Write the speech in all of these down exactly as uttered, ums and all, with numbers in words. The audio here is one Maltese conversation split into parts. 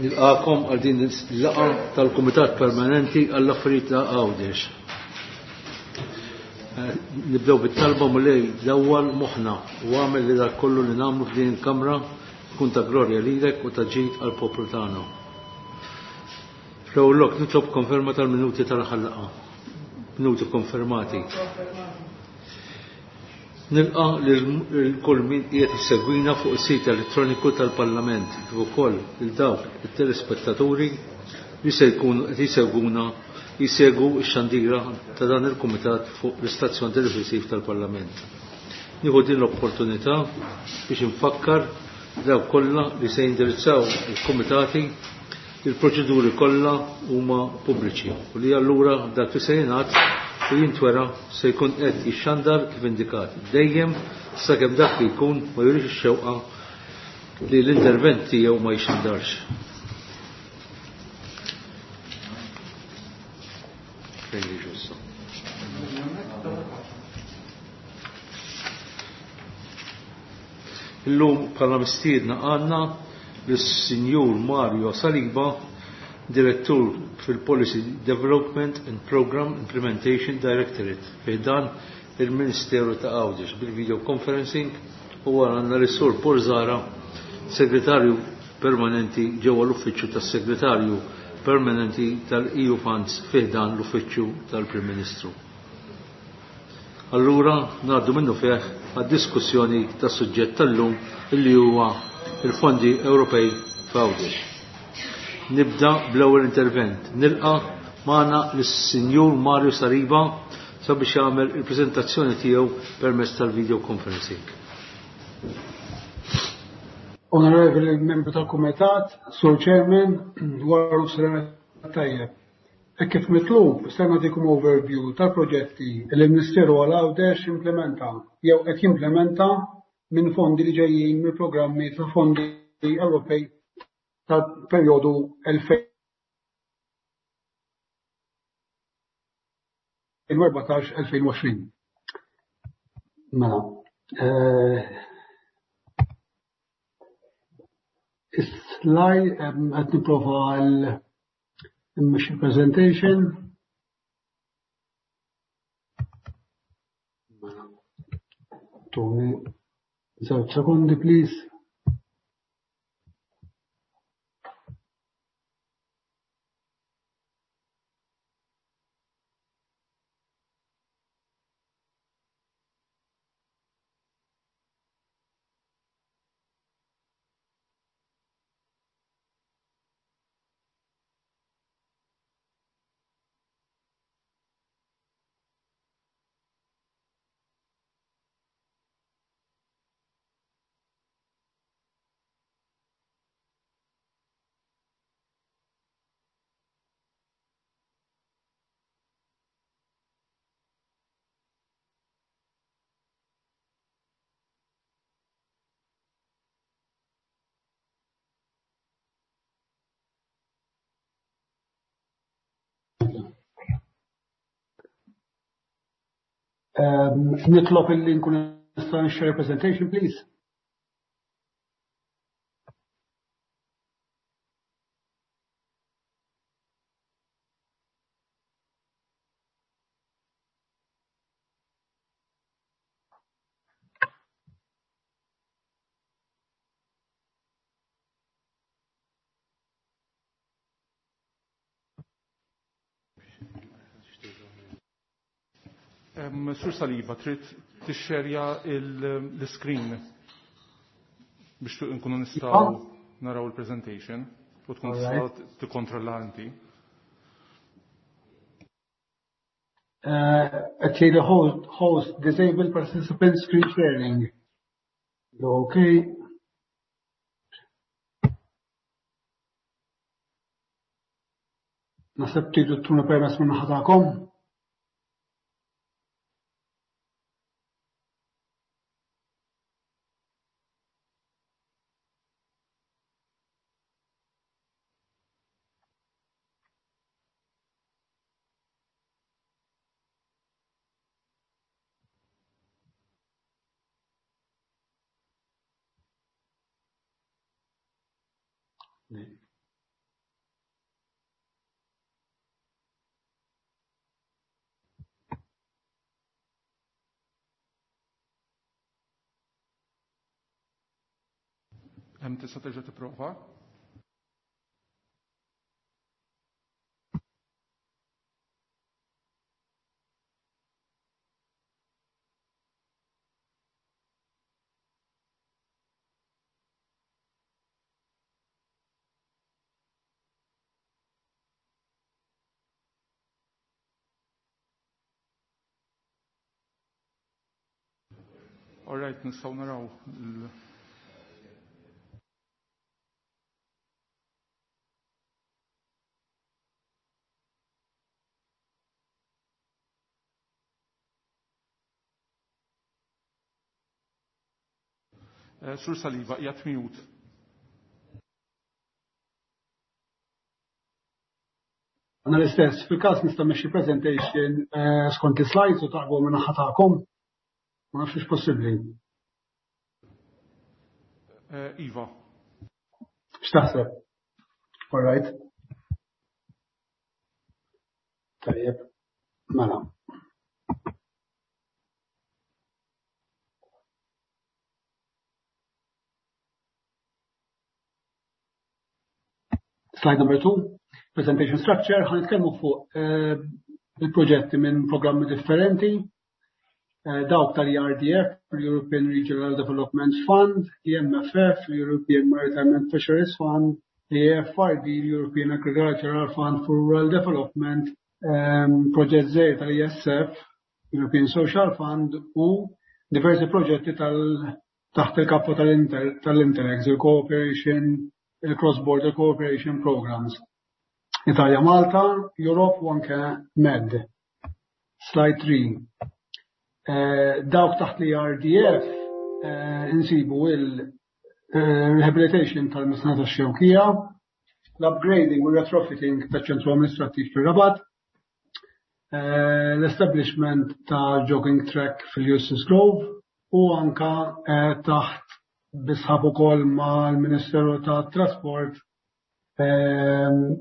Nilqakom għal din il-laqgħa tal-Kumitat Permanenti għall-Affarijiet ta' Għawdex. Nibdew bit-talba: Mulej, dawwal moħħna u agħmel li dak kollu li nagħmlu f'din il-Kamra tkun ta' glorja lilek u ta' ġid għall-poplu tagħna. Fl-ewwel lok nitlob konferma tal-minuti tal-aħħar laqgħa. Minuti konfermati. Nilqa lil kull min qiegħed issegwina fuq is-sit elettroniku tal-Parlament, kif ukoll lil dawk it-telespettaturi li se jkunu qed jisegwuna jisegwu x-xandira ta' dan il-kumitat fuq l-istazzjon televisiv tal-Parlament. Nieħu din l-opportunità biex infakkar dawk kollha li se jindirizzaw il-kumitati, il-proċeduri kollha huma pubbliċi u li allura dak li se jingħad u jintwera se jkun qed jixxandar kif indikat dejjem, sakemm dak li jkun ma jurix ix-xewqa li l-intervent tiegħu ma jixxandarx. Fejn jiġu issa? Illum bħala mistiedna għandna lis-Sinjur Mario Saliba, Direttur fil-Policy Development and Program Implementation Directorate fi ħdan il-Ministeru ta' Għawdex bil-video conferencing, u għandna lis-Sur Paul Zahra, Segretarju Permanenti ġewwa l-Uffiċċju tas-Segretarju Permanenti tal-E U Funds fi ħdan l-Uffiċċju tal-Prim Ministru. Allura ngħaddu minnufih għad-diskussjoni tas-suġġett tal-lum, illi huwa il-fondi Ewropej f'Għawdex. Nibda bl-ewwel intervent. Nilqa' magħna lis-Sinjur Mario Saliba sabiex jagħmel il-preżentazzjoni tiegħu permezz tal-video conferencing. Onorevoli membru tal-Kumitat, Sur Chairman, wara nofsinhar tajjeb. Hekk kif mitlub, se nagħtikom overview tal-proġetti li l-Ministeru għal Għawdex implementa jew qed jimplementa minn fondi li ġejjin mill-programmi ta' fondi Ewropej tal-perjodu elfejn u erbatax elfejn u għoxrin. Mela, eh, is-slide qed nipprova l presentation. Mela, tuni żewġ sekondi, please. Um, nitlob illi nkun nista' share presentation, please. Um, Sur Saliba, trid tixxerja l-screen biex nkunu nistgħu naraw il-presentation u tkun tista' tikkontrolla inti. Qed jgħid host, host disable participant screen sharing. Okay. Naħseb tridu ttuna permess minn naħa tagħkom. Hemm tista' terġa' tipprova? All right, nistgħu naraw il- Eh, Sur Saliba, qiegħed mute. Għana l-istess, fil-każ nista' mmexxi presentation eh, skont is-slides u taqbu minn naħa tagħkom. Ma nafx possibbli. Eh, Iva. X'taħseb? All right. Tajjeb. Mela. Slide number two, presentation structure, ħa nitkellmu fuq eh, il-proġetti minn programmi differenti, eh, dawk tal-E R D F, l-European Regional Development Fund, E M F F, l-European Maritime and Fisheries Fund, l-E A F R D, l-European Agricultural Fund for Rural Development, um, proġett żgħir tal-E S F, European Social Fund u diversi proġetti tal taħt il-kappa tal-Interreg, il-Cooperation, il-Cross-Border Cooperation Programs. Italia, Malta, Europe u anke Med. Slide three. Eh, dawk taħt l-E R D F eh, insibu il-rehabilitation tal-Mitħna tax-Xewkija, l-upgrading u retrofitting taċ-ċentru amministrattiv fir-Rabat, eh, l-establishment ta' jogging track fil-Eustace Grove u anka taħt bi sħab ukoll mal-Ministeru ta' Trasport ehm,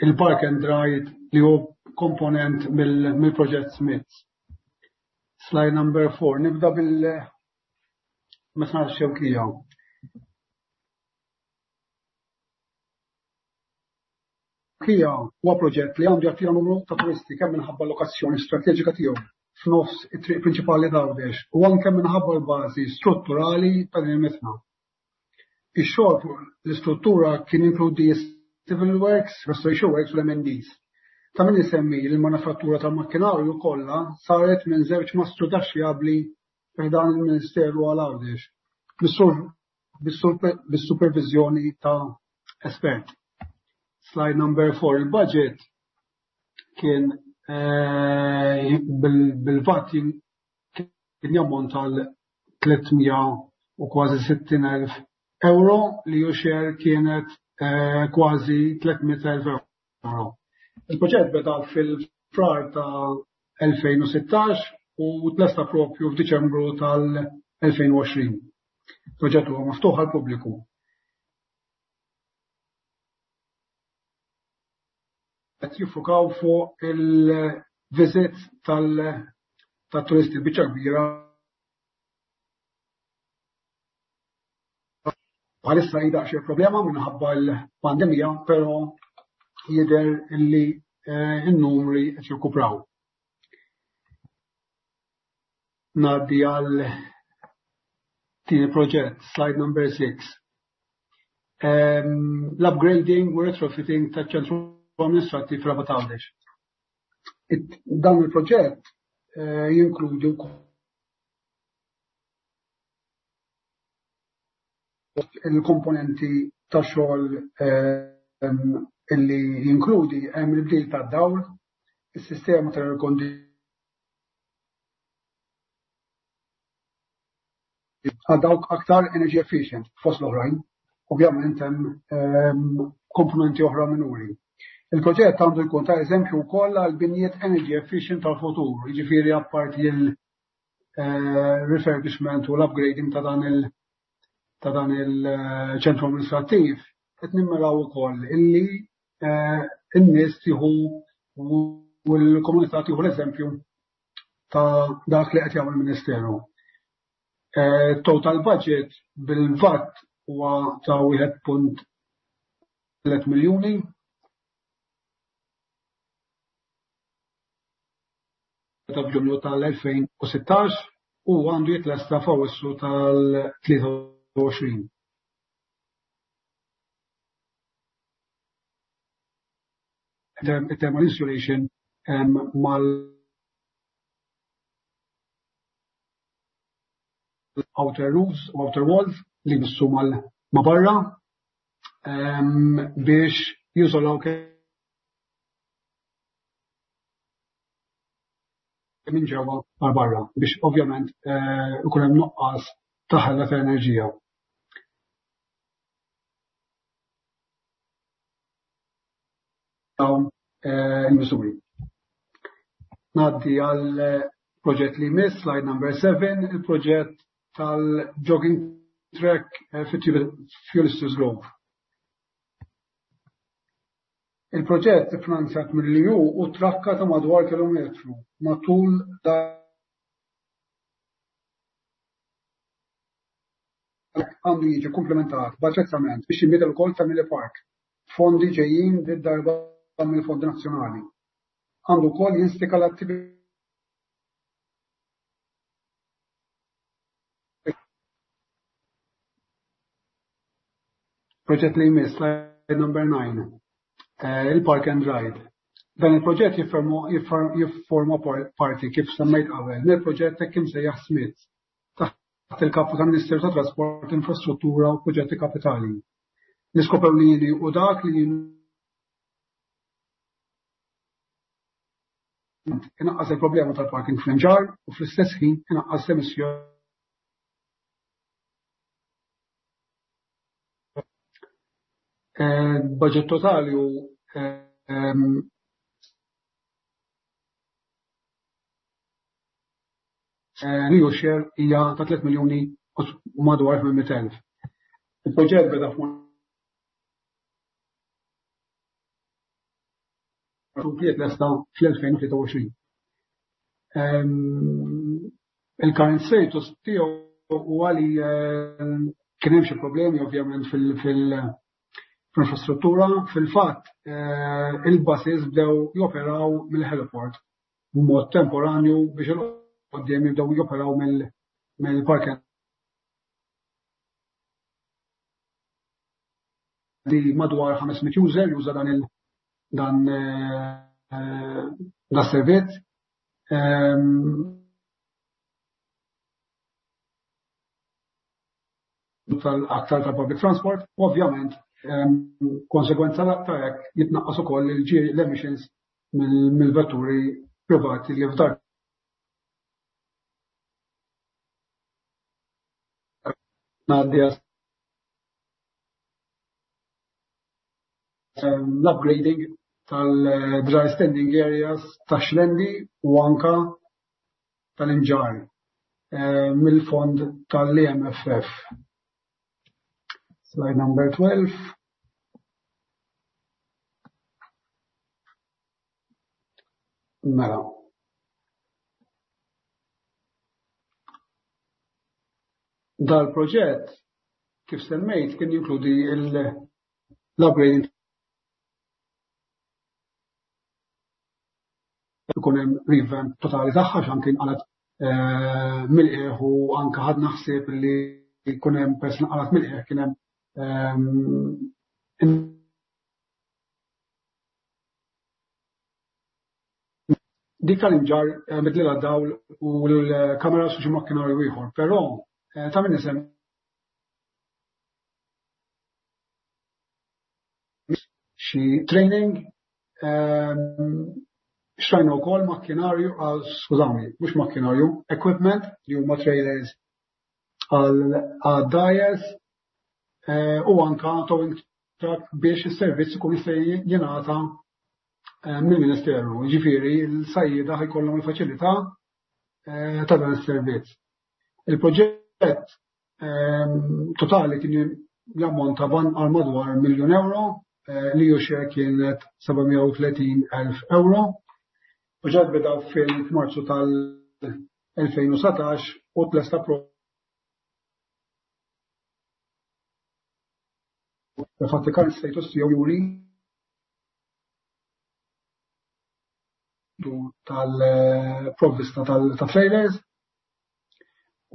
il-Park and Ride li hu komponent mill-proġett Smith. Slide number four. Nibda bil-Mitħna Xewkija. Kija huwa proġett li għandu jattira numru ta' turisti kemm minħabba lokazzjoni strateġika tiegħu f'nofs it-triq prinċipali t'Għawdex u anke minħabba l-bażi strutturali ta' din il-mitħna. Ix-xogħol fuq l-istruttura kien inkludi civil works, restoration works u l-M and Ds. Ta' min isemmi li l-manifattura tal-makkinarju kollha saret minn żewġ mastrudaxxi abli dan il-Ministeru għal Għawdex bis-supervizjoni ta' espert. Slide number four, il-budget kien eh, bil-VAT kien jammont għal tliet mija u kważi sittin elf euro li E U share kienet eh, kważi tliet mitt elf euro. Il-proġett beda fil-Frar ta' elfejn u sittax u tlesta propju f'Diċembru tal-elfejn u għoxrin. Proġett huwa miftuħ għal pubbliku. Qed jiffukaw fuq il-visit tal-turisti biċċa kbira. Bħalissa hi daqsxejn problema minħabba l-pandemija, però jidher illi eh, n-numri qed jirkupraw. Ngħaddi għal tieni proġett, slide number six. Um, L-upgrading u retrofitting ta' ċentru amministrattiv Rabat Għawdex. Dan il-proġett eh, jinkludi il-komponenti ta' xogħol ehm, illi jinkludi hemm il-bdil ta' dawl, is-sistema ta' air għal dawk aktar energy efficient fost l-oħrajn. Ovvjament hemm ehm, komponenti oħra minuri. Il-proġett għandu jkun ta' eżempju wkoll għal binjiet energy efficient tal-futur, jiġifieri apparti il eh, refurbishment u l-upgrading ta' dan il- ta' dan il-ċentru amministrattiv, qed nimmiraw ukoll illi eh, n-nies tieħu u l-komunità tieħu l-eżempju ta' dak li qed jagħmel il-Ministeru. Eh, total budget bil-VAT huwa ta' wieħed punt tliet miljuni. Ta' Ġunju tal-elfejn u sittax u għandu jitlesta f'Awwissu tal-tlieta u għoxrin. Thermal insulation mal outer roofs u outer walls li jmissu ma' barra biex jużolaw minn ġewwa għal barra biex ovvjament ikun hemm nuqqas ta' ħela ta' enerġija. Dawn il-miżuri. Ngħaddi għal proġett li jmiss, slide number seven, il-proġett tal-jogging track fit-Ulysses Grove. Il-proġett iffinanzjat mill-E U u trakka ta' madwar kilometru matul għandu jiġi komplementat b'attrezzament biex jinbidel ukoll Family Park. Fondi ġejjin did-darba mill-Fondi Nazzjonali. Għandu wkoll jinstika l-attività Proġett li jmiss, slide number nine, il-Park and Ride. Dan il-proġett jifforma parti kif semmejt qabel mill-proġett hekk imsejjaħ Smith taħt il-kapu tal-Ministeru tat Trasport, Infrastruttura u Proġetti Kapitali. L-iskop ewlieni u dak li inaqqas il-problema tal-parking fl-Imġarr u fl-istess ħin inaqqas l-emissjoni. Budget totali u li hu share hija ta' tliet miljuni u madwar tmien mitt elf. Il-proġett beda f'Marzu lesta fl-elfejn u tlieta u għoxrin. Il-current status tiegħu huwa li kien hemm xi problemi ovvjament fil-infrastruttura. Fil-fatt il-buses bdew joperaw mill-heliport b'mod temporanju biex il-qudiem jibdew joperaw mill-park li madwar ħames mitt user juża dan il dan da servizz. Tal-aktar tal-public transport, ovvjament konsegwenza ta' hekk jitnaqqas ukoll l-emissions mill-vetturi privati li f'dar. Ngħaddi l-upgrading tal-dry standing areas ta' Xlendi u anka tal-Imġarr mill-fond tal-E M F F. Slide number twelve. Mela. Dal-proġett, kif semmejt, kien jinkludi l-upgrading ikun hemm revamp totali tagħha x'anke kien qalet mill-qiegħ u anke ħadna ħsieb li jkun hemm pers li qalet mill-qiegħ kien hemm dik tal-Imġarr bidlilha dawl u l-kameras u xi makkinarju ieħor, però ta' min isem xi training, xtrajna wkoll makkinarju, skużawni, mhux makkinarju, equipment li huma trailers għal dgħajjes u anka towing truck biex is-servizz ikun jista' jingħata mill-Ministeru. Ġifieri l-sajjieda ħajkollhom il-faċilità ta' dan is-servizz. Il-proġett totali kien jammonta għal madwar miljun euro, li hu share kienet seba' mija u tletin elf euro. Proġett beda fil-Marzu tal-elfejn u satax u tlesta Infatti current status tiegħu juri tal-provvista tal-trailers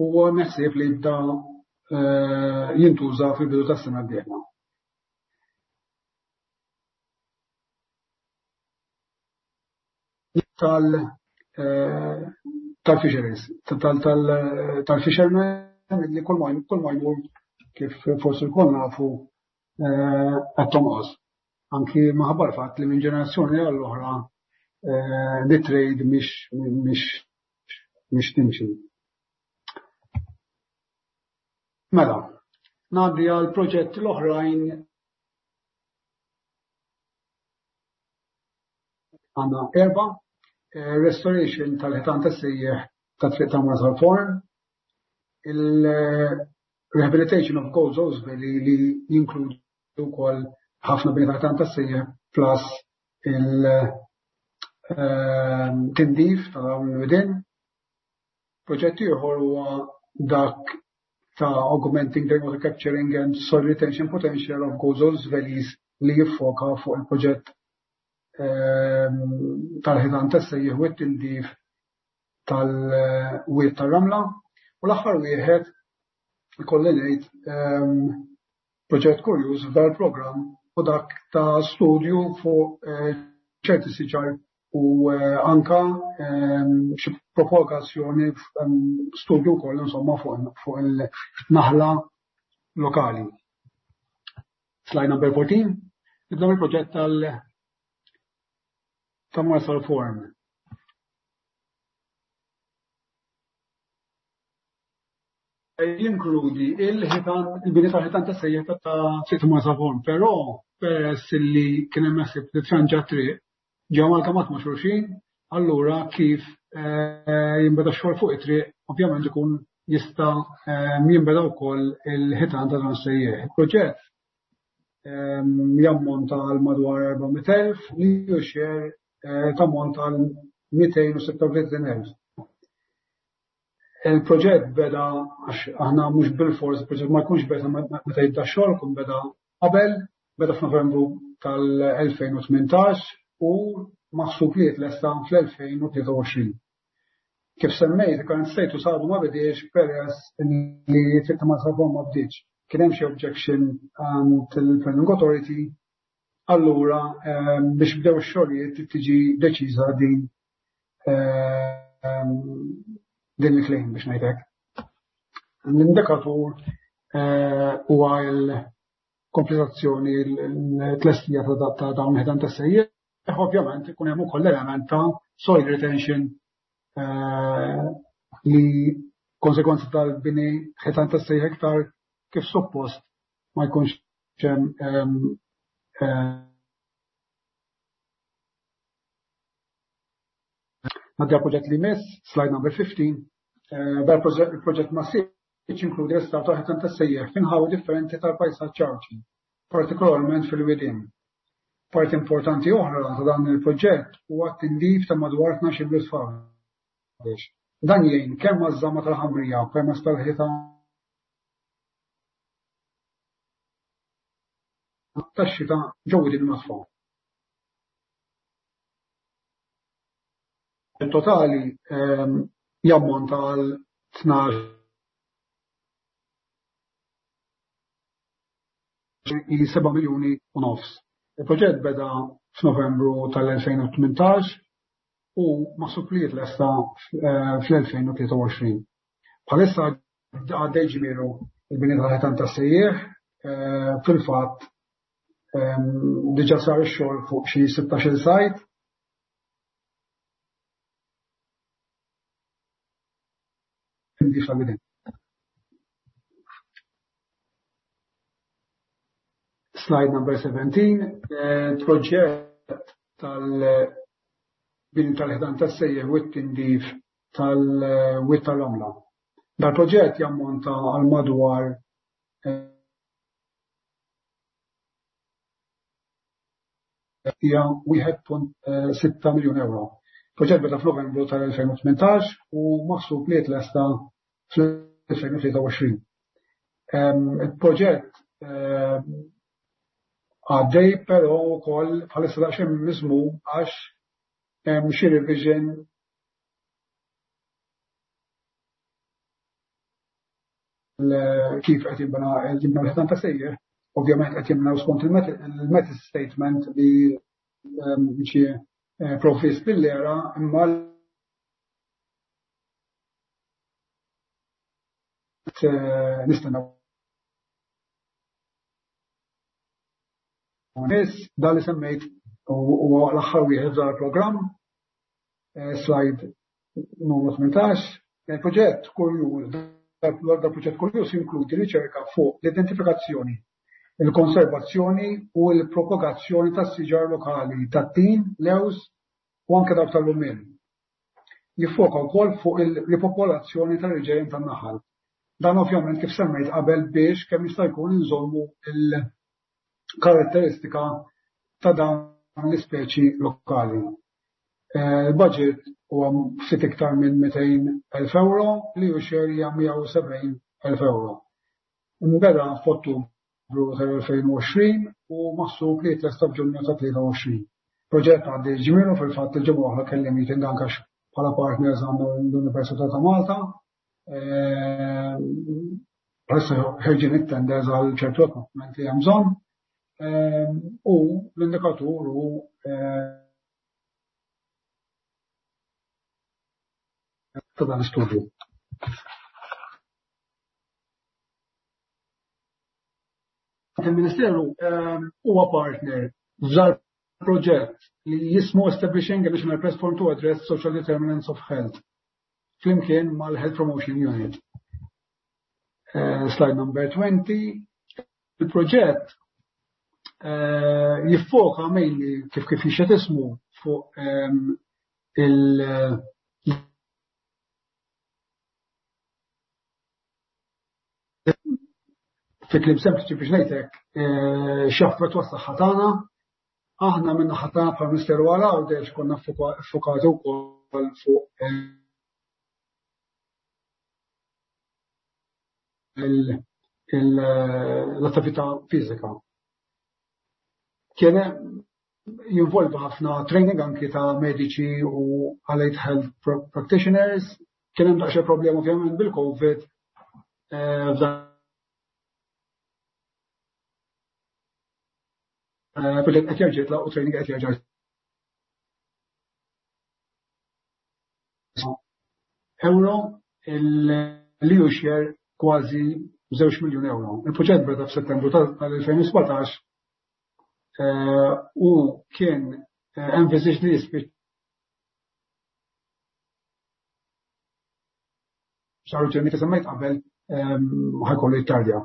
u naħseb li jibda jintuża fil-bidu tas-sena d-dieħla. Tal-fisheries, tal-fishermen li kull ma jmur kif forsi lkoll nafu qed tonqos. Anki minħabba l-fatt li minn ġenerazzjoni għall-oħra the trade mhix timxi. Mela, ngħaddi għal proġetti l-oħrajn. Għandna erba': restoration tal-ħitan tas-sejjeħ ta' Triq ta' Marsalforn, il-rehabilitation of Gozo's Valley li jinkludi wkoll ħafna bini tal-ħitan tas-sejjeħ plus il-tindif ta' dawn il-widien. Proġett ieħor huwa dak ta' augmenting the water capturing and soil retention potential of Gozo's Valleys li jiffoka fuq il-proġett tal-ħitan tas-sejjeħ u t-tindif tal-wied tar-ramla. U l-aħħar wieħed ikolli ngħid proġett kurjuż f'dan il-programm u dak ta' studju fuq ċerti siġar u anka xi propagazzjoni, studju wkoll insomma fuq il-naħla lokali. Slide number fourteen. Nibda mill-proġett tal ta' Marsalforn. Jinkludi il-ħitan, il-bini tal-ħitan tas-sejjeħ ta' Triq Marsalforn, però peress li kien hemm ħsieb li tranġa triq ġew amalgamat ma' xulxin, allura kif jinbeda x-xogħol fuq it-triq, ovvjament ikun jista' jinbeda wkoll il-ħitan ta' dan sejjeħ. Il-proġett jammonta għal madwar erba' mitt elf, li hu share tammonta għal mitejn u sitta u tletin elf. Il-proġett beda, għax aħna mhux bil-fors, il-proġett ma jkunx beda meta jibda x-xogħol, ikun beda qabel, beda f'Novembru tal-elfejn u tmintax u maħsub li jitlesta fl-elfejn u tlieta u għoxrin. Kif semmejt, current status għadu ma bidiex peress li Triq ta' Marsalforn ma bdietx. Kien hemm xi objection għand il-Planning Authority, allura biex bdew ix-xogħlijiet tiġi deċiża din din il-claim biex ngħidlek. L-indikatur huwa l-kompletazzjoni, l-tlestija ta' dawn il-ħitan tas-sejjeħ. Ovvjament ikun hemm ukoll element ta' soil retention li konsekwenza tal-bini ħitan tas-sejjeħ iktar kif suppost ma jkunx hemm Ngħaddi għall-proġett li jmiss, slide number fifteen. Dan il-proġett massiċ jinkludi restawr tal-ħitan tas-sejjeħ f'inħawi differenti tal-pajsaġġ Għawdxi, partikolarment fil-widien. Parti importanti oħra ta' dan il-proġett huwa t-tindif ta' madwar tnax-il bliet f'Għawdex. Dan jgħin kemm għaż-żamma tal-ħamrija permezz tal-ħitan tax-xita ġew widien nodfa. Il-totali jammonta għal tnax seba' miljuni u nofs. Il-proġett beda f'Novembru tal-elfejn u tmintax u maħsub li jitlesta fl-elfejn u tlieta u għoxrin. Bħalissa għaddej ġmielu il-bini tal-ħitan tas-sejjeħ, fil-fatt diġà sar ix-xogħol fuq xi sittax-il sajt. Slide number seventeen, proġett tal-bini tal-ħitan tas-sejjeħ u t-tindif tal-wied tal-Ramla. Dal-proġett jammonta għal madwar hija wieħed punt sitta miljun euro. Proġett beda f'Novembru tal-elfejn u tmintax u maħsub li jitlesta fl-elfejn u tlieta u għoxrin. Il-proġett Għaddej però wkoll bħalissa daqsxejn miżmum għax hemm xi revision kif qed jinbena jinbnew l-ħitan ta' sejjer. Ovvjament qed jinbnew skont il-method statement li ġie provvist bil-era, imma nistennew. Biss dan li semmejt huwa l-aħħar wieħed f'dan il-programm, slide numru tmintax. Il-proġett kurjuż, dal-proġett kurjuż jinkludi riċerka fuq l-identifikazzjoni, il-konservazzjoni u l-propagazzjoni tas-siġar lokali tat-tin, lews u anke dawk tal-lumien. Jiffoka wkoll fuq il-ripopolazzjoni tal-irġejjen tan-naħal. Dan ovvjament kif semmejt qabel biex kemm jista' jkun inżommu il-karatteristika ta' dawn l-ispeċi lokali. Il-budget huwa ftit iktar minn mitejn elf euro li hu share hija mija u sebgħin elf euro. Nbeda f'Ottubru tal-elfejn u għoxrin u maħsub li jitlesta f'Ġunju ta' tlieta u għoxrin. Proġett għaddi ġmielu, fil-fatt il-ġimgħa oħra kelli meeting anke bħala partners għandna l-Università ta' Malta. Bħalissa ħerġin it-tenders għal ċertu equipment li hemm bżonn. U l-indikatur hu ta' dan l-istudju. Il-Ministeru huwa partner f'dal proġett li jismu Establishing a National Platform to Address Social Determinants of Health flimkien mal-Health Promotion Unit. Slide number twenty. Il-proġett jiffoka mainly kif kif jixed ismu fuq il- fi kliem sempliċi biex ngħidlek x'jaffettwa s-saħħa tagħna. Aħna minn naħa tagħna bħala Ministeru għal Għawdex konna ffukati wkoll fuq l-attività fiżika. Kien jinvolvi ħafna training anki ta' mediċi u allied health practitioners. Kien hemm daqsxejn problema ovvjament bil-COVID f'dan proġett qed jerġa' jitlaq u training qed jerġa' euro, li hu share kważi żewġ miljun euro. Il-proġett beda f'Settembru tal-elfejn u sbatax u kien envisaged li jispiċċa raġuni kif semmejt qabel ħajkollu jittardja.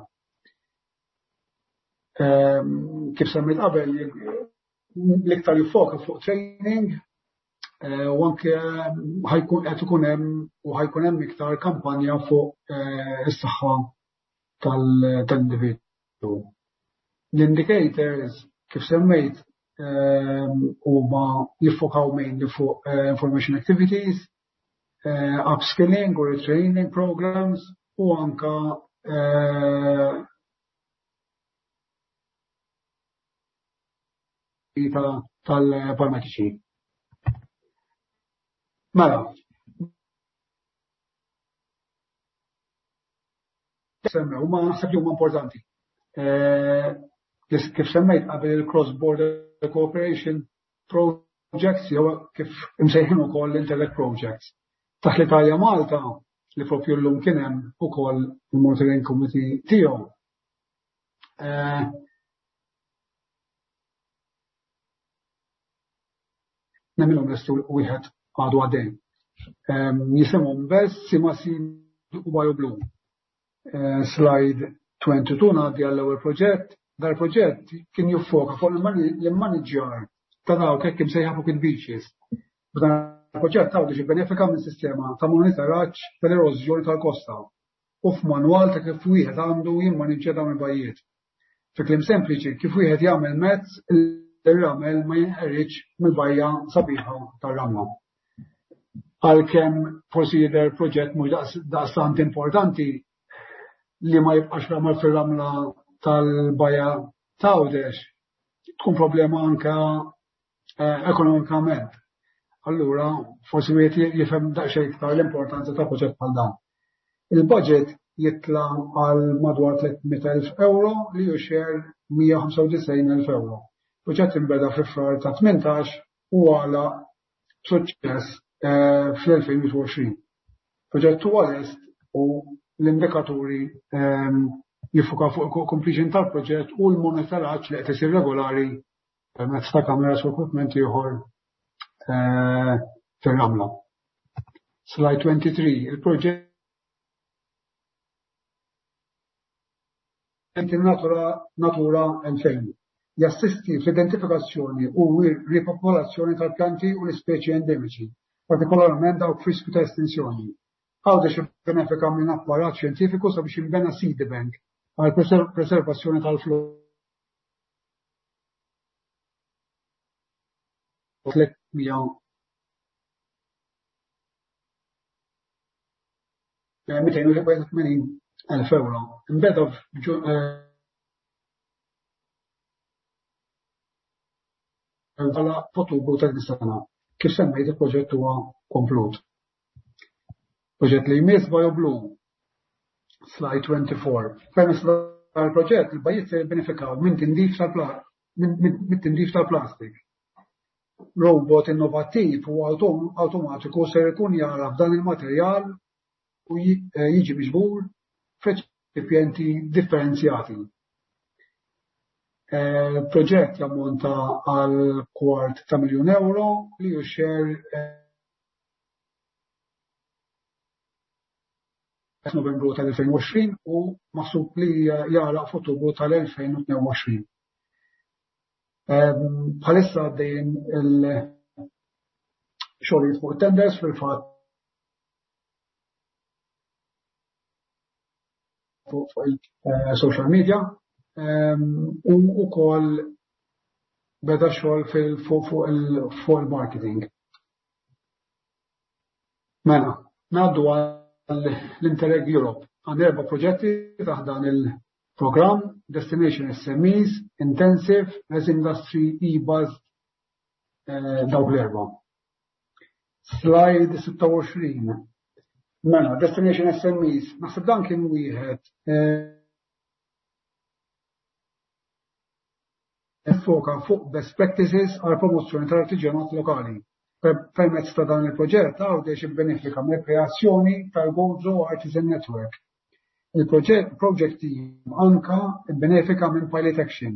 Kif semmejt qabel, l-iktar jiffoka fuq training u anke ħajkun qed ikun hemm u ħajkun hemm iktar kampanja fuq is-saħħa tal-individwu. L-indicators kif semmejt huma jiffokaw mainly fuq information activities, upskilling or retraining programs u anka tal-paramediċi. Mela, semmew, ma naħseb li huma importanti. Kif semmejt qabel il-cross-border cooperation projects jew kif imsejħin ukoll l-Interreg projects. Taħt l-Italja Malta li propju llum kien hemm ukoll il-monitoring committee tiegħu. Nemmilhom lestu wieħed għadu għaddej. Jisimhom BESS, Simasi u BioBlue. Slide twenty-two ngħaddi għall-ewwel proġett. Dal-proġett kien jiffoka fuq l-immaniġġjar ta' dawk hekk imsejħa pocket beaches. B'dan il-proġett Għawdex jibbenefika minn sistema ta' monitoraġġ tal-erożjoni tal-kosta u f'manwal ta' kif wieħed għandu jimmaniġġja dawn il-bajjiet. Fi kliem sempliċi, kif wieħed jagħmel mezz ir-ramel ma jinqeridx mill-bajja sabiħa tar-ramla. Għalkemm forsi jidher proġett mhux daqstant importanti li ma jibqax ramel fir-ramla tal-bajja ta' Għawdex, tkun problema anka eh, ekonomikament. Allura, forsi wieħed jifhem daqsxejn iktar l-importanza ta' proġett bħal dan. Il-budget jitla għal madwar tliet mitt elf euro li hu share mija u ħamsa u disgħin elf euro. Proġett inbeda fi Frar ta' tmintax u għalaq b'suċċess eh, fl-elfejn u wieħed u għoxrin. Proġett huwa lest u l-indikaturi ehm, jiffukaw fuq completion tal-proġett u l-monitoraġġ li qed isir regolari permezz ta' kameras u equipment ieħor eh, fir-ramla. Slide twenty-three, il-proġett Natura Natura elfejn jassisti fl-identifikazzjoni u ripopolazzjoni tal-pjanti u l-ispeċi endemiċi, partikolarment dawk f'riskju ta' estinzjoni. Għawdex benefika minn apparat xjentifiku sabiex jinbena seed bank għal preservazzjoni tal-flora. tliet mija mitejn u tmenin elf euro. Inbeda għala f'Ottubru ta' din sena. Kif semmejt, il-proġett huwa komplut. Proġett li jmiss, BioBlue. Slide twenty-four. Permezz tal-proġett, il-bajjiet se jibbenefikaw minn tindif tal- tal-plastik. Robot innovattiv u automatiku ser ikun jara f'dan il-materjal u eh, jiġi miġbur f'reċipjenti differenzjati. Eh, proġett jammonta għal kwart ta' miljon euro li hu share eh, Novembru tal-elfejn u għoxrin u maħsub li jagħlaq f'Ottubru tal-elfejn u tnejn u għoxrin. Bħalissa għaddejjin il-xogħlijiet fuq tenders, fil-fatt fuq il-social media u wkoll beda xogħol fuq il-marketing. Mela, ngħaddu għall-Interreg Europe. Għandna erba' proġetti taħt dan il-programm: Destination S M Es, Intensive, Res Industry, e-Buzz, eh, dawk l-erba'. Slide sitta u għoxrin. Mela, Destination S M Es, naħseb dan kien wieħed eh, foka fuq best practices għal promozzjoni tal-artiġjanat lokali. Permezz ta' dan il-proġett, Għawdex ibbenefika mill-kreazzjoni tal-Gozo Artisan Network. Il-proġett project team anka benefika minn Pilot Action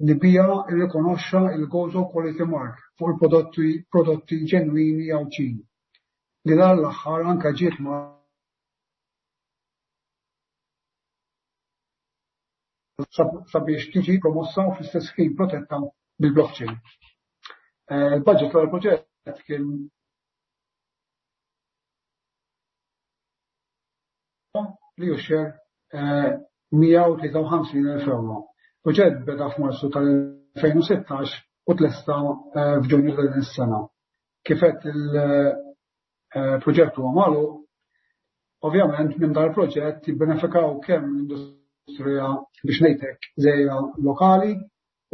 li bija irrikonoxxa il-Gozo Quality Mark fuq il-prodotti prodotti ġenwini Għawdxin. Li dan l-aħħar anka ġiet ma sabiex tiġi promossa u fl-istess ħin protetta bil-blockchain. Eh, il-budget tal-proġett kien li hu share mija u tlieta u ħamsin elf euro. Proġett beda f'Marzu tal-elfejn u sittax u tlesta eh, f'Ġunju ta' din is-sena. Kif għedt, il-proġett huwa magħluq, ovvjament minn dal proġett jibbenefikaw kemm l-industrija, biex ngħidlek, żgħira lokali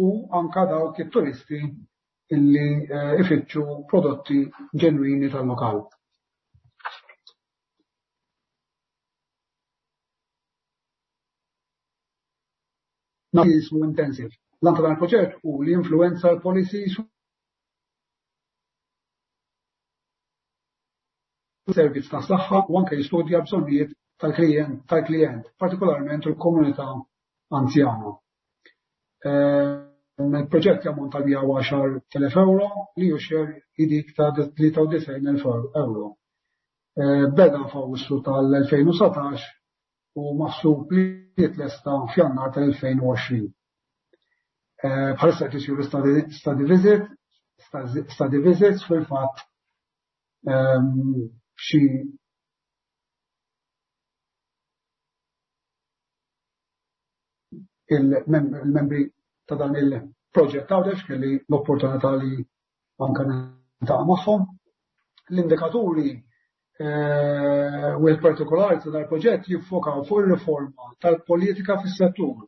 u anka dawk it-turisti illi eh, ifittxu prodotti ġenwini tal-lokal. Jismu Intensive. L-għan ta' dan il-proġett hu li influenza l-policies servizz ta' saħħa u anke jistudja bżonnijiet tal-klient, tal-klient, partikolarment il-komunità anzjana. Eh, il-proġett jammonta mija u għaxart elef euro li hu share dik ta' tlieta u disgħin elf euro. Eh, beda f'Awwissu tal-elfejn u sbatax u maħsub li jitlesta f'Jannar tal-elfejn u għoxrin. Eh, bħalissa qed isiru study visit, study visits fil-fatt ehm, xi il-membri ta' dan il-proġett Għawdex kelli l-opportunità li anka niltaqa' magħhom. L-indikaturi eh, u l-partikolari ta' dal-proġett jiffokaw fuq il-riforma tal-politika fis-settur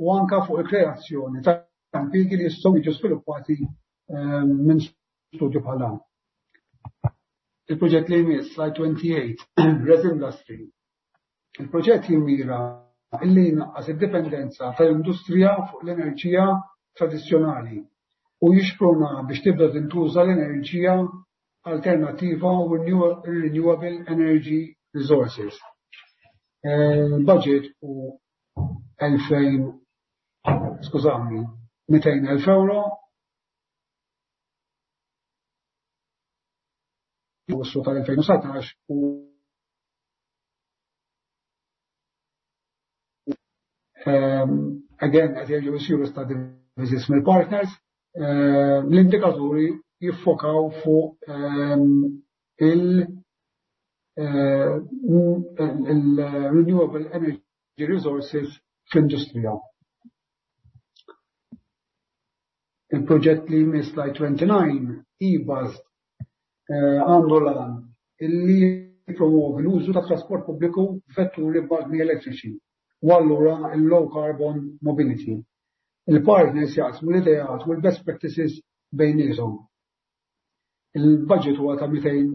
u anka fuq il-kreazzjoni ta' impjiegi li jistgħu jiġu sviluppati minn studju bħal dan. Il-proġett li jmiss, slide twenty-eight, Res Industry. Il-proġett jimmira illi jnaqqas id-dipendenza tal-industrija fuq l-enerġija tradizzjonali u jixpruna biex tibda tintuża l-enerġija alternativa u renewable energy resources. Il-budget hu elfejn, skużawni, mitejn elf euro. Awwissu tal-elfejn u satax u again, qed jerġgħu jsiru study visits mill-partners. L-indikaturi jiffokaw fuq il-renewable energy resources fl-industrija. Il-proġett li jmiss, slide twenty-nine, e-bus, għandu l-għan illi jippromovi l-użu ta' trasport pubbliku f'vetturi b'magni elettriċi u allura il-low carbon mobility. Il-partners jaqsmu l-ideat u l-best practices bejniethom. Il-budget huwa ta' mitejn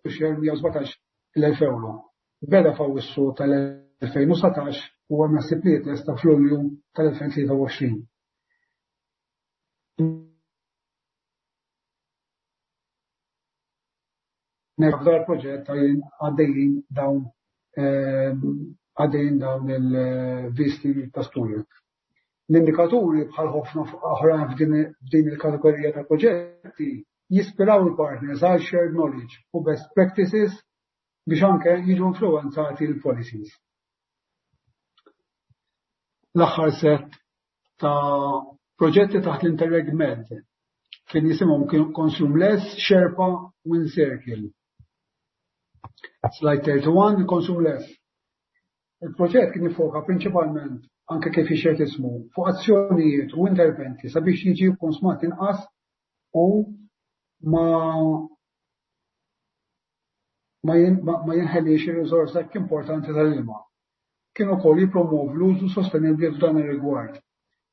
mija u sbatax elf euro. Beda f'Awwissu tal-elfejn u satax u hemm naħseb li jitlesta f'Lulju tal-elfejn tlieta u għoxrin. F'dan il-proġett għaddejjin dawn għaddejjin dawn il-visti ta' studju. L-indikaturi bħal ħafna oħrajn f'din il-kategorija ta' proġetti jispiraw il-partners għal shared knowledge u best practices biex anke jiġu influenzati l-policies. L-aħħar set ta' proġetti taħt l-Interreg Med kien jisimhom Consume Less, Sherpa u Encircle. Slide thirty-one, Consume Less. Il-proġett kien jifoka prinċipalment, anke kif jixhed ismu, fuq azzjonijiet u interventi sabiex jiġi konsmat inqas u ma ma jinħelix ir-riżorsa hekk importanti tal-ilma. Kien ukoll jippromovi l-użu sostenibbli f'dan ir-rigward.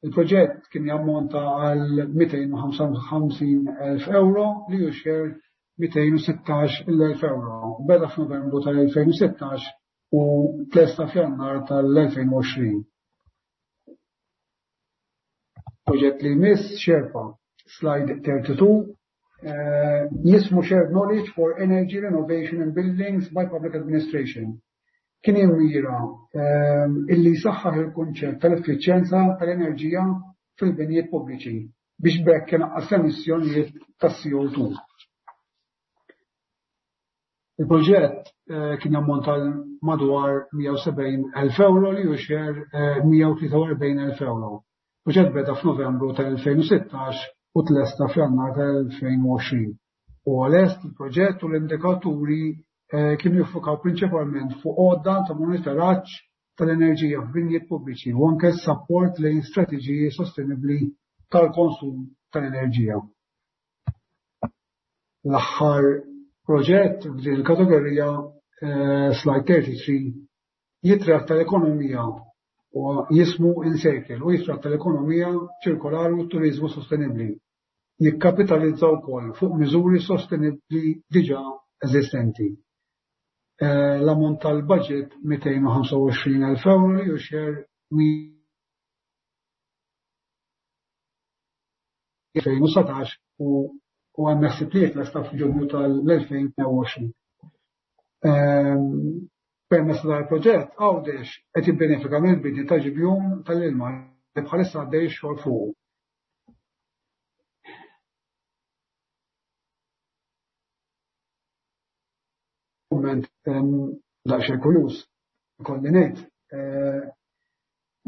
Il-proġett kien jammonta għal mitejn u ħamsa u ħamsin elf euro li hu share mitejn u sittax elf euro. Beda f'Novembru tal-elfejn u sittax u tlesta f'Jannar tal-elfejn u għoxrin. Proġett li jmiss, Sherpa, slide thirty-two, eh, jismu Shared Knowledge for Energy Renovation in Buildings by Public Administration. Kien jimmira, eh, illi jsaħħaħ il-kunċett tal-effiċjenza tal-enerġija fil-binjiet pubbliċi biex b'hekk inaqqas l-emissjonijiet tas-C O two. Il-proġett, eh, kien jammonta madwar mija u sebgħin elf euro li hu share, eh, mija u tlieta u erbgħin elf euro. Proġett beda f'Novembru tal-elfejn u sittax u tlesta f'Jannar tal-elfejn u għoxrin. U għalest il-proġett u l-indikaturi, eh, kienu jiffukaw prinċipalment fuq għodda ta' monitoraġġ tal-enerġija f'binjiet pubbliċi u anke s-sapport lejn strateġiji sostenibbli tal-konsum tal-enerġija. L-aħħar proġett f'din il-kategorija, eh, slide thirty-three, jitratta l-ekonomija u jismu Encircle u jitratta l-ekonomija ċirkolari u t-turizmu sostenibbli. Jikkapitalizza wkoll fuq miżuri sostenibbli diġà eżistenti. Eh, l-ammont tal-budget mitejn u ħamsa u għoxrin elf euro li hu share elfejn u satax u, u hemm ħsieb li jitlesta f'Ġunju tal-elfejn u għoxrin. Ehm, permezz tal-proġett Għawdex qed jibbenefika mill-bini ta' ġibjun tal-ilma li bħalissa għaddej ix-xogħol fuqu. Kumment, ehm, daqsxejn kurjuż, ikolli ngħid, eh,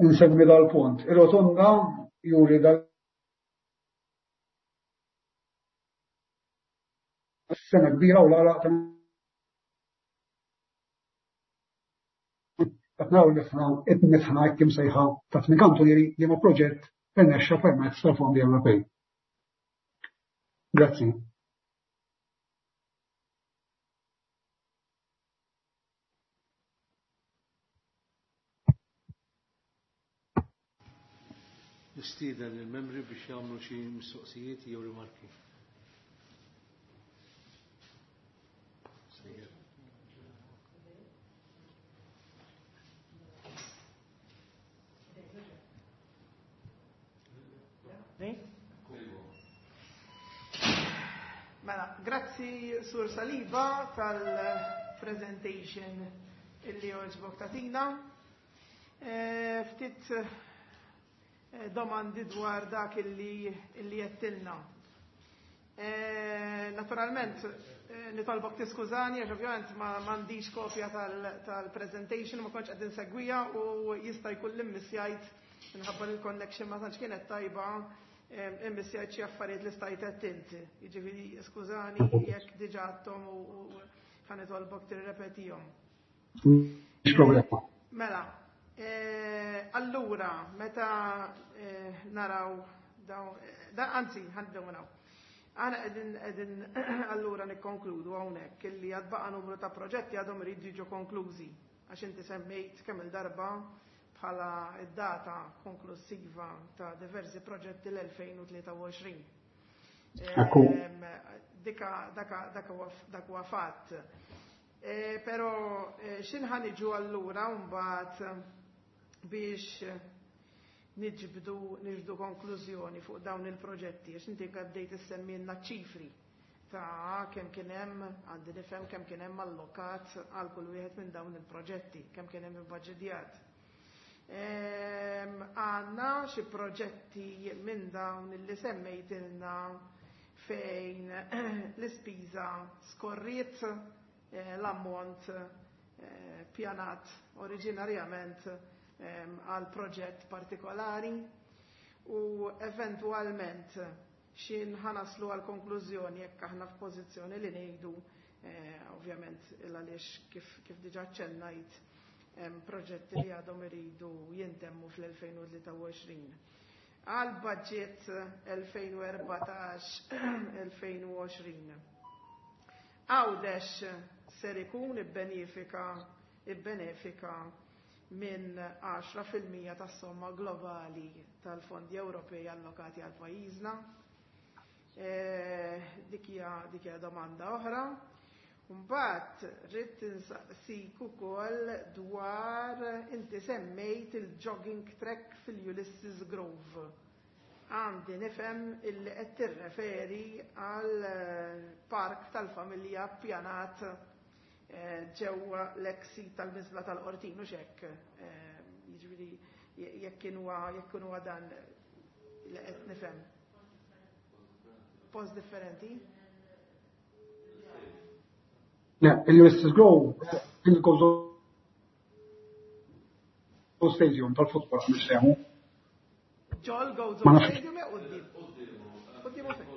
insemmi dal-punt. Ir-rotonda juri dal sena kbira u l-għaraq ta' qed naraw li aħna qed nifħna hekk imsejħa ta' tmien kantunieri li ma' proġett irnexxa permezz tal-fondi Ewropej. Grazzi. Nistieden il-membri biex jagħmlu xi mistoqsijiet jew rimarki. Sejjer. Mela, grazzi Sur Saliba tal-presentation illi għoġbok tatina. E, ftit domandi dwar dak illi illi jettilna. E, naturalment, nitolbok tiskużani, għax ovvjament ma m'għandix kopja tal-presentation, ma kontx qed insegwija u jista' jkun l-immissjajt minħabba li l-connection ma tantx kienet tajba, immissjajt xi affarijiet li stajt qed inti. Jiġifieri skużani jekk diġà għadthom u ħa nitolbok tirrepetihom. Mhix problema. Mela, allura, meta naraw dawn, anzi, ħanibdew minn hawn. Aħna qegħdin qegħdin allura nikkonkludu hawnhekk illi għad baqa' numru ta' proġetti għadhom iridu jiġu konklużi, għax inti semmejt kemm il-darba bħala id-data konklusiva ta' diversi proġetti l-elfejn u tlieta u għoxrin. Dika dak huwa fatt. Però x'inħa niġu allura mbagħad biex niġbdu niġbdu konklużjoni fuq dawn il-proġetti, għax inti bdejt issemmilna ċifri ta' kemm kien hemm, għandi nifhem kemm kien hemm allokat għal kull wieħed minn dawn il-proġetti, kemm kien hemm ibbaġġedjat. Għandna xi proġetti minn dawn illi semmejtilna fejn l-ispiża skorriet l-ammont pjanat oriġinarjament għal proġett partikolari u eventwalment xin ħanaslu għal konklużjoni jekk aħna f'pożizzjoni li ngħidu, ovvjament għaliex kif kif diġà ċennajt proġetti li għadhom iridu jintemmu fl-elfejn u tlieta u għoxrin. Għal budget elfejn u erbatax elfejn u għoxrin. Għawdex ser ikun ibbenefika ibbenefika minn għaxra fil-mija tas-somma globali tal-fondi Ewropej allokati għal pajjiżna. Dik hija dik hija domanda oħra. Mbagħad rrid insaqsik ukoll dwar inti semmejt il-jogging track fil-Ulysses Grove. Għandi nifhem illi qed tirreferi għal park tal-familja ppjanat ġewwa l-ex-sit tal-miżbla tal-Qortin u x'hekk. Jiġifieri jekk kien huwa jekk kien huwa dan li qed nifhem. Post differenti? Le, il-Ulysses Grove, il-Gozo Stadium tal-futbol għam semu. Ġol Gozo Ma nafx. Stadium jew quddiem? Quddiem u fejn?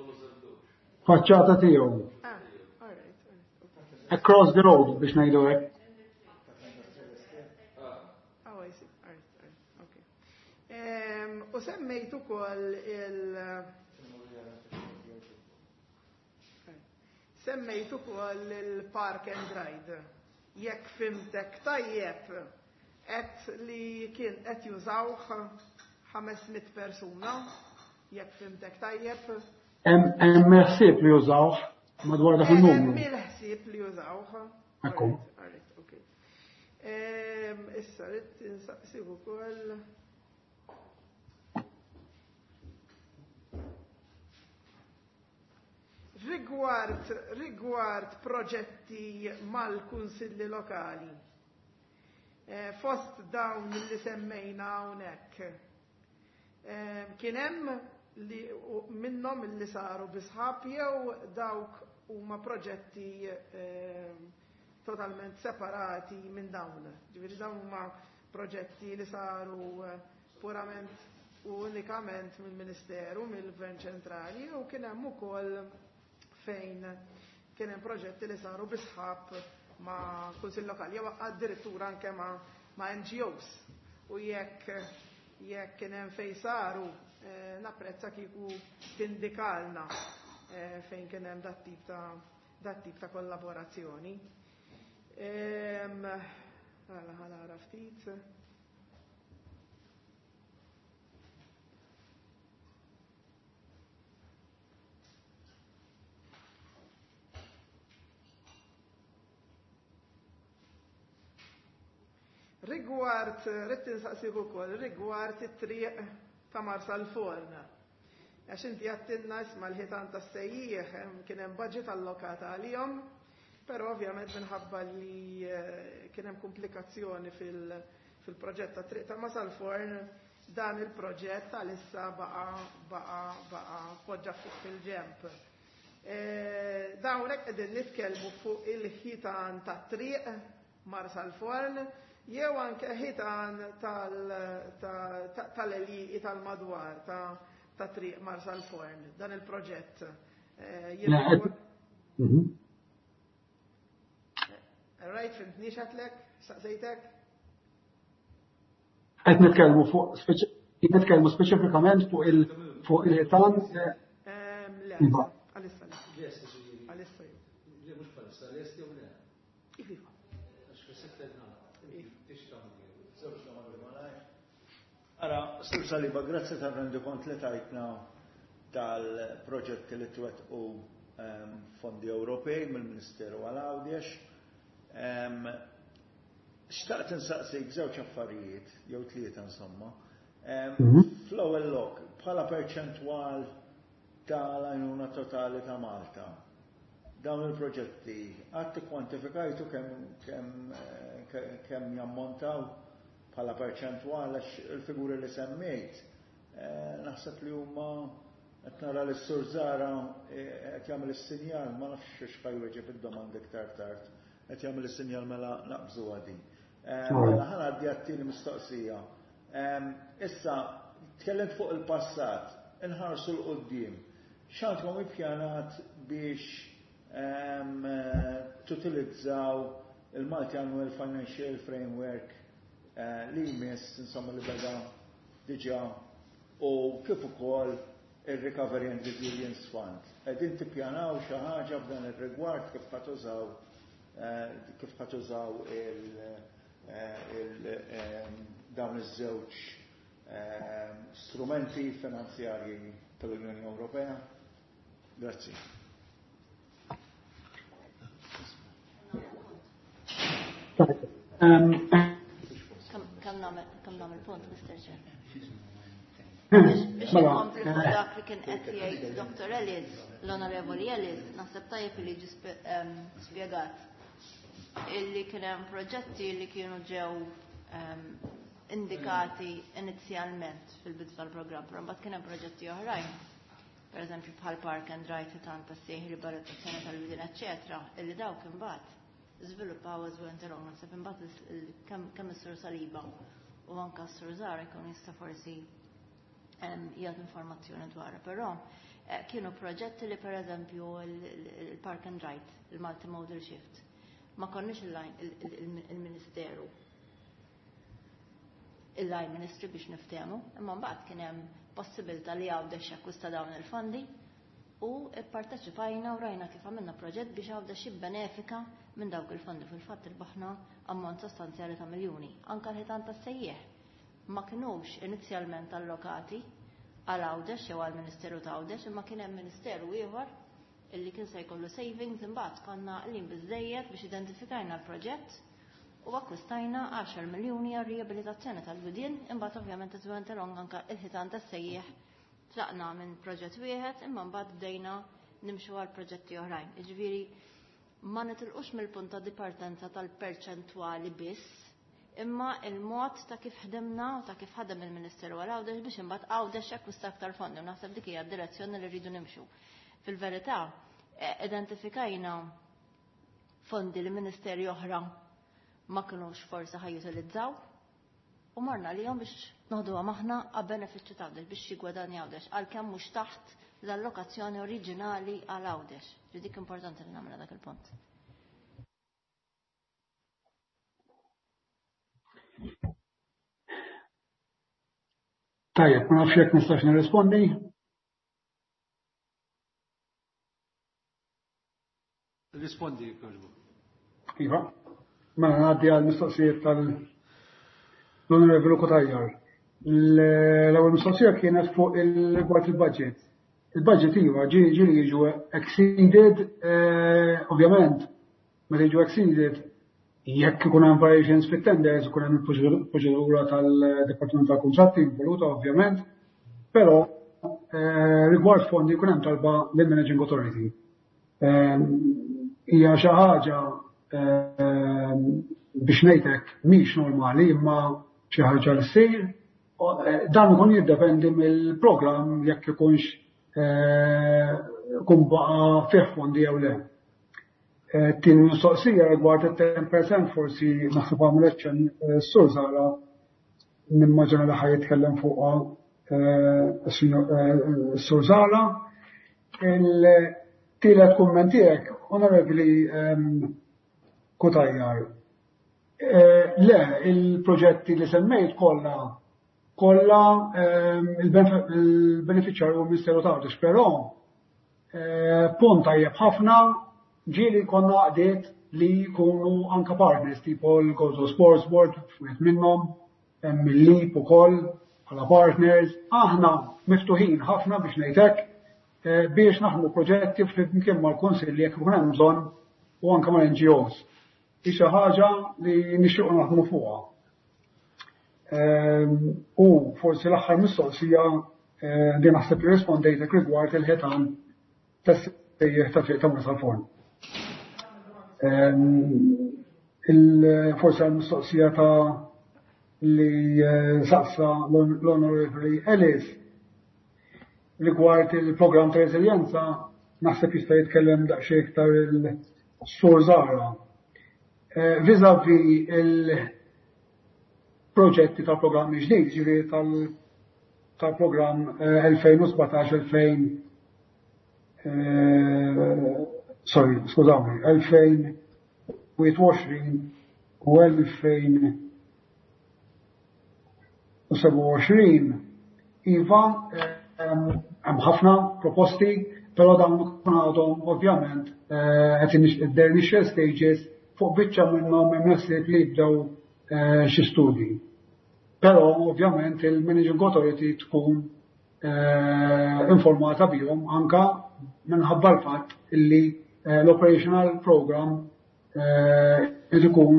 Faċċata tiegħu. Ah, all right, all right, okay. Across the road biex ngħidu hekk. Oh, I see. All right, all right, okay. Ehm, u semmejt ukoll il- Semmejt ukoll il-park and ride. Jekk fimtek tajjeb, qed li kien qed jużawh ħames mitt persuna, jekk fimtek tajjeb. Hemm ħsieb li jużawh madwar dak il-numru. Hemm il-ħsieb li jużawh. Ekku. All right, all right, okay. Ehm, issa rrid insaqsih ukoll. Rigward, rigward proġetti mal-kunsilli lokali, eh, fost dawn li semmejna hawnhekk, eh, kien hemm li minnhom li saru bi sħab jew dawk huma proġetti, eh, totalment separati minn dawn. Ġifieri dawn huma proġetti li saru, eh, purament u unikament mill-Ministeru, mill-Gvern Ċentrali, u kien hemm ukoll fejn kien hemm proġetti li saru bi sħab ma' kunsill lokali jew addirittura anke ma', ma' N G Os. U jekk, jekk kien hemm fejn saru, eh, napprezza kieku tindikalna, eh, fejn kien hemm dat tip ta' dat tip ta' kollaborazzjoni. Ehm, Għala, ħanara ftit. Rigward, ridt insaqsik ukoll, rigward it-triq ta' Marsalforn. Għax inti għedtilna, isma', l-ħitan tas-sejjieħ kien hemm budget allokata għalihom, però ovvjament minħabba li eh, kien hemm komplikazzjoni fil-proġett ta' triq ta' Marsalforn, dan il-proġett għalissa baqa baqa baqa poġġa fuq fil-ġemp. Eh, Dawnek qegħdin nitkellmu fuq il-ħitan ta' triq Marsalforn jew anke ħitan tal-għelieqi tal-madwar ta' triq Marsalforn, dan il-proġett. Eh, mhm. Right, fhimtni x'għedtlek? Saqsejtek? Qed nitkellmu fuq nitkellmu speċifikament fuq il fuq il-ħitan. Le, għalissa le. Għalissa. Le, mhux bħalissa, lest jew le? Iva. Għax fis-sitta Żewġ domandi malajr. Ara, Sur Saliba, grazzi tal-rendikont li tajtna tal-proġetti li twettqu ehm, fondi Ewropej mill-Ministeru għal Għawdex. Ehm, xtaqt insaqsik żewġ affarijiet, jew tlieta insomma. Ehm, mhm. Fl-ewwel lok, bħala perċentwal tal-għajnuna totali ta' Malta, dawn il-proġetti, qatt kwantifikajtu kemm kemm eh, kemm jammontaw bħala perċentwal, għax il-figuri li semmejt eh, naħseb li huma, qed nara li s-Sur Zara eh, qed jagħmel is-sinjal, ma nafx x'ħa jweġeb id-domanda iktar tard. Qed jagħmel is-sinjal, mela naqbżu għadi. Eh, mela ħa ngħaddi għat-tieni mistoqsija. Issa, tkellimt fuq il-passat, inħarsu 'l quddiem. X'għandkom ippjanat biex tutilizzaw il-Multi-Annual Financial Framework eh, li jmiss, insomma, li beda diġa, u kif ukoll il-Recovery and Resilience Fund? Qegħdin tippjanaw xi ħaġa f'dan ir-rigward, kif ħa tużaw eh, kif ħa tużaw il, eh, il dawn iż-żewġ strumenti finanzjarji tal-Unjoni Ewropea? Grazzi. Kemm nagħmel punt, Mister Chair? Biex Mela, nkompli fuq dak li kien qed jgħid Doctor Ellis, l-Onorevoli Ellis, naħseb tajjeb li ġi spjegat illi kien hemm proġetti li kienu ġew indikati inizjalment fil-bidu tal-programm, però mbagħad kien hemm proġetti oħrajn, per eżempju bħal Park and Ride, ħitan tas-sejħ, riabilitazzjoni tal-widien, eċċetera, illi dawk imbagħad żviluppaw as went along. Naħseb imbagħad kemm is-Sur Saliba u anka s-Sur Zara jkun jista' forsi jagħti informazzjoni dwarha, però eh, kienu proġetti li, per eżempju, il-Park and Ride, il-Multimodal Shift, ma konniex il-Ministeru, il-line ministry biex niftehmu, imma mbagħad kien hemm possibilità li Għawdex jakkwista dawn il-fondi u pparteċipajna u rajna kif għamilna proġett biex Għawdex jibbenefika minn dawk il-fondi. Fil-fatt irbaħna ammont sostanzjali ta' miljuni. Anka l-ħitan tas-sejjeħ ma kinux inizjalment allokati għal Għawdex jew għal Ministeru ta' Għawdex, imma kien hemm ministeru ieħor illi kien se jkollu savings, imbagħad konna qlin biżejjed biex identifikajna l-proġett u akkwistajna għaxar miljuni għal riabilitazzjoni tal-widien. Imbagħad ovvjament as went along anka il-ħitan tas-sejjeħ, tlaqna minn proġett wieħed imma mbagħad bdejna nimxu għal proġetti oħrajn. Jiġifieri ma nitilqux mill-punt ta' dipartenza tal-perċentwali biss, imma il-mod ta' kif ħdimna u ta' kif ħadem il-Ministeru għal Għawdex biex imbagħad Għawdex jakkwista aktar fondi, u naħseb dik hija d-direzzjoni li rridu nimxu. Fil-verità, eh, identifikajna fondi li ministeri oħra ma kinux forsi ħa jutilizzaw u marna li biex noħduha maħna għal benefiċċju ta' Għawdex, biex jigwadanja Għawdex, għalkemm mhux taħt l-allokazzjoni oriġinali għal Għawdex. Dik importanti li nagħmel dak il-punt. Tajjeb, ma nafx jekk nistax nirrispondi. Rispondi, jogħġbok. Iva. Mela ngħaddi għal mistoqsijiet tal-Onorevoli Cutajar. L-ewwel mistoqsija kienet fuq il-rigward il-budget. Il-budget, iva, ġieli jiġu exceeded, eh, ovvjament, meta jiġu exceeded, Jekk ikun hemm variations fit-tenders, ikun hemm il-proċedura tal-Dipartiment tal-Kuntratti involuta ovvjament, però eh, rigward fondi jkun hemm talba lill-Managing Authority. Ehm, hija xi ħaġa ehm, biex ngħidlek mhix normali imma xi ħaġa li ssir. Eh, dan ikun jiddependi mill-programm jekk ikunx eh, kun baqa' fih fondi jew le. Eh, tieni mistoqsija rigward it-ten percent forsi naħseb għamel ċen Sur Zahra, nimmaġina li ħa jitkellem fuqha Sur Zahra. Il-tielet kumment tiegħek, Onorevoli ehm, Cutajar. Le, il-proġetti li semmejt kollha kollha ehm, il-beneficjarju Ministeru ta' Għawdex, però punt tajjeb ħafna, ġieli konna għaqdiet li jkunu anka partners, tipo l-Gozo Sports Board, wieħed minnhom, hemm il-LEAP ukoll bħala partners. Aħna miftuħin ħafna biex ngħidlek eh, biex naħdmu proġetti flimkien mal-kunsilli jekk ikun hemm bżonn u anke mal-N G Os. Hi xi ħaġa li nixtiequ naħdmu fuqha. Ehm, u forsi l-aħħar mistoqsija eh, din naħseb li rispondejtek rigward il-ħitan tas-sejjeħ ta' triq ta' Marsalforn. Ehm, forsi għal-mistoqsija ta' li eh, saqsa l-Onorevoli Ellis rigward il-program ta' reżiljenza, naħseb jista' jitkellem daqsxejn iktar il-Sur Zahra. Eh, vis-a-vis il-proġetti tal-programmi ġdid, ġifieri tal-programm elfejn u sbatax-elfejn, sorry, skużawni, elfejn u wieħed u għoxrin u elfejn u sebgħa u għoxrin, iva, hemm ħafna proposti, però dawn ikun għadhom ovvjament qed their initial stages, fuq biċċa minnhom hemm ħsieb li jibdew xi studji. Però ovvjament il-Managing Authority tkun informata bihom anka minħabba l-fatt illi l-operational program irid ikun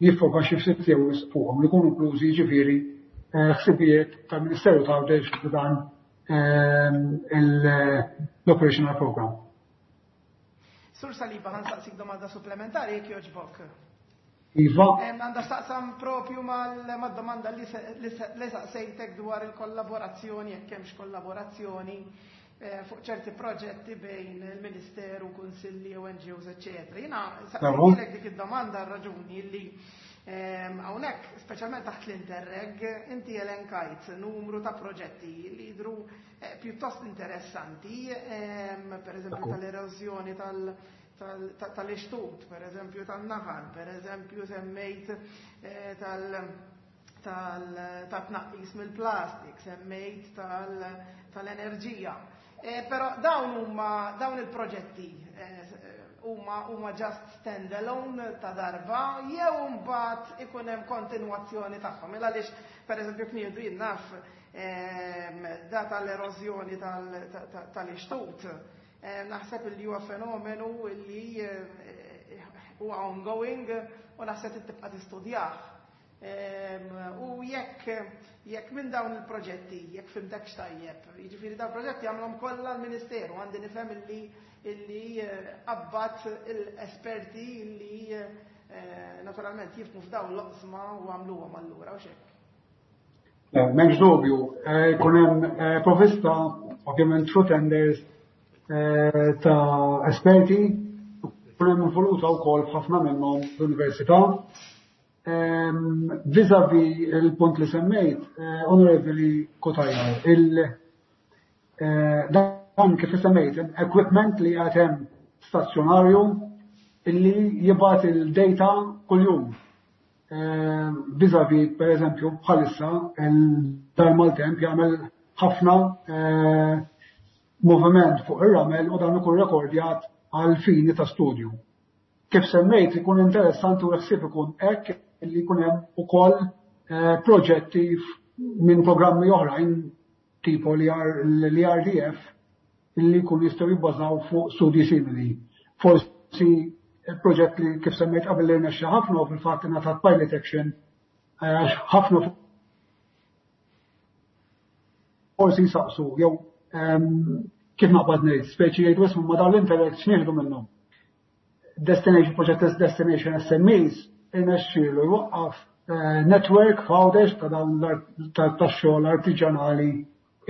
jiffoka xi ftit jew fuqhom li jkunu inklużi, ġifieri ħsibijiet tal-Ministeru ta' Għawdex f'dan l-operational program. Sur Saliba, ħa nsaqsik domanda supplementari jekk jogħġbok. Iva. Għandha x'taqsam propju mal-domanda li saqsejtek dwar il-kollaborazzjoni, jekk hemmx kollaborazzjoni fuq ċerti proġetti bejn il-Ministeru, kunsilli u N G Os, eccetera. Jiena saqsejtek dik id-domanda raġuni li hawnhekk, speċjalment taħt l-Interreg, inti elenkajt numru ta' proġetti li jidru pjuttost interessanti, per eżempju tal-erosjoni tal-ixtut, per eżempju tal-naħal, per eżempju semmejt tal-tnaqqis mill-plastik, semmejt tal-enerġija. Però dawn huma dawn il-proġetti huma huma just stand-alone ta' darba jew mbagħad ikun hemm kontinwazzjoni tagħhom? Il għaliex pereżempju kniedu jien naf da tal-erożjoni tal-ixtut. Naħseb li huwa fenomenu li huwa ongoing u naħseb tibqa' tistudjah. U jekk jekk minn dawn il-proġetti, jekk fhimtek tajjeb, jiġifieri dawn il-proġetti għamlhom kollha l-Ministeru, għandi nifhem illi illi qabbat l-esperti illi naturalment jifhmu f'dawn l-oqsma u għamluhom allura u xek. M'hemmx dubju, jkun hemm provvista ovvjament through tenders ta' esperti, jkun hemm involuta wkoll f'ħafna minnhom l-università. Vis-a-vis il-punt li semmejt, Onorevoli Cutajar, dan kif semmejt, equipment li għad hemm stazzjonarju illi jibgħat il-data kuljum. Vis-a-vis, per eżempju, bħalissa, il-dar maltemp jagħmel ħafna moviment fuq ir-ramel u dan ikun rekordjat għal fini ta' studju. Kif semmejt, ikun interessanti u ħsieb ikun hekk li jkun hemm ukoll proġetti minn programmi oħrajn tipo l-E R D F li jkun jistgħu jibbażaw fuq studji simili. Forsi Il-proġett li kif semmejt qabel li rnexxa ħafna u fil-fatt ingħatat pilot action għax ħafna forsi jsaqsu jew kif naqbad ngħid, speċi jgħidu ismu ma dawn l-Interreg x'nieħdu minnhom. Destination Project Destination S M Es irnexxielu jwaqqaf network f'Għawdex ta' dawn tax-xogħol artiġanali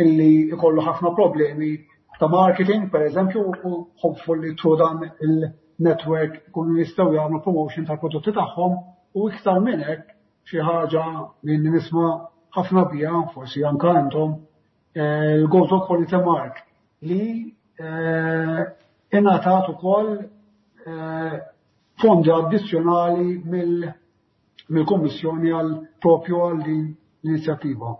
illi jkollu ħafna problemi ta' marketing, per eżempju, u hopefully through dan il-network ikunu jistgħu jagħmlu promotion tal-prodotti tagħhom u iktar minn hekk xi ħaġa li nisma' ħafna biha, forsi anke intom, il-Gozo Quality Mark li ingħatat ukoll fondi addizzjonali mill-Kummissjoni għal propju għal din l-inizjattiva.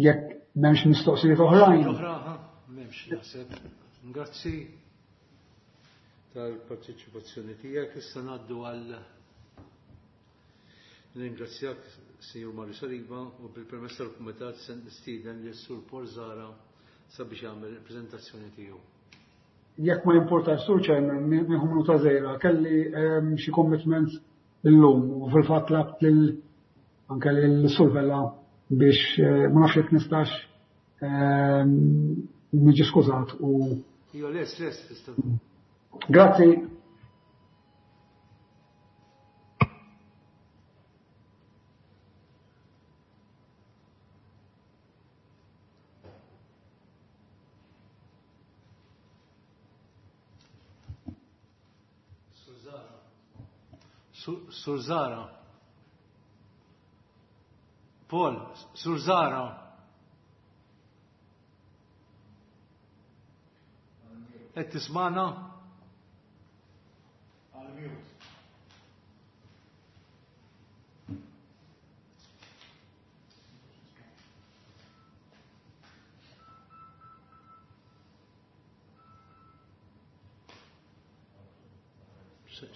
Jekk m'hemmx mistoqsijiet oħrajn. Oħra, m'hemmx naħseb. Grazzi tal-parteċipazzjoni tiegħek. Issa ngħaddu għal Ringrazzjak, Sinjur Mario Saliba, u bil-permess tal-Kumitat se nistieden lil Sur Paul Zahra sabiex jagħmel il-preżentazzjoni tiegħu. Jekk ma jimportax, Sur Chairman, nieħu minuta żgħira, kelli xi commitments illum u fil-fatt labt lil anke lil Sur Vella biex ma nafx jekk nistax niġi skużat u Iva, les, les, tista'. Grazzi. Sur Zahra. Paul, Sur Zahra. Qed tismana?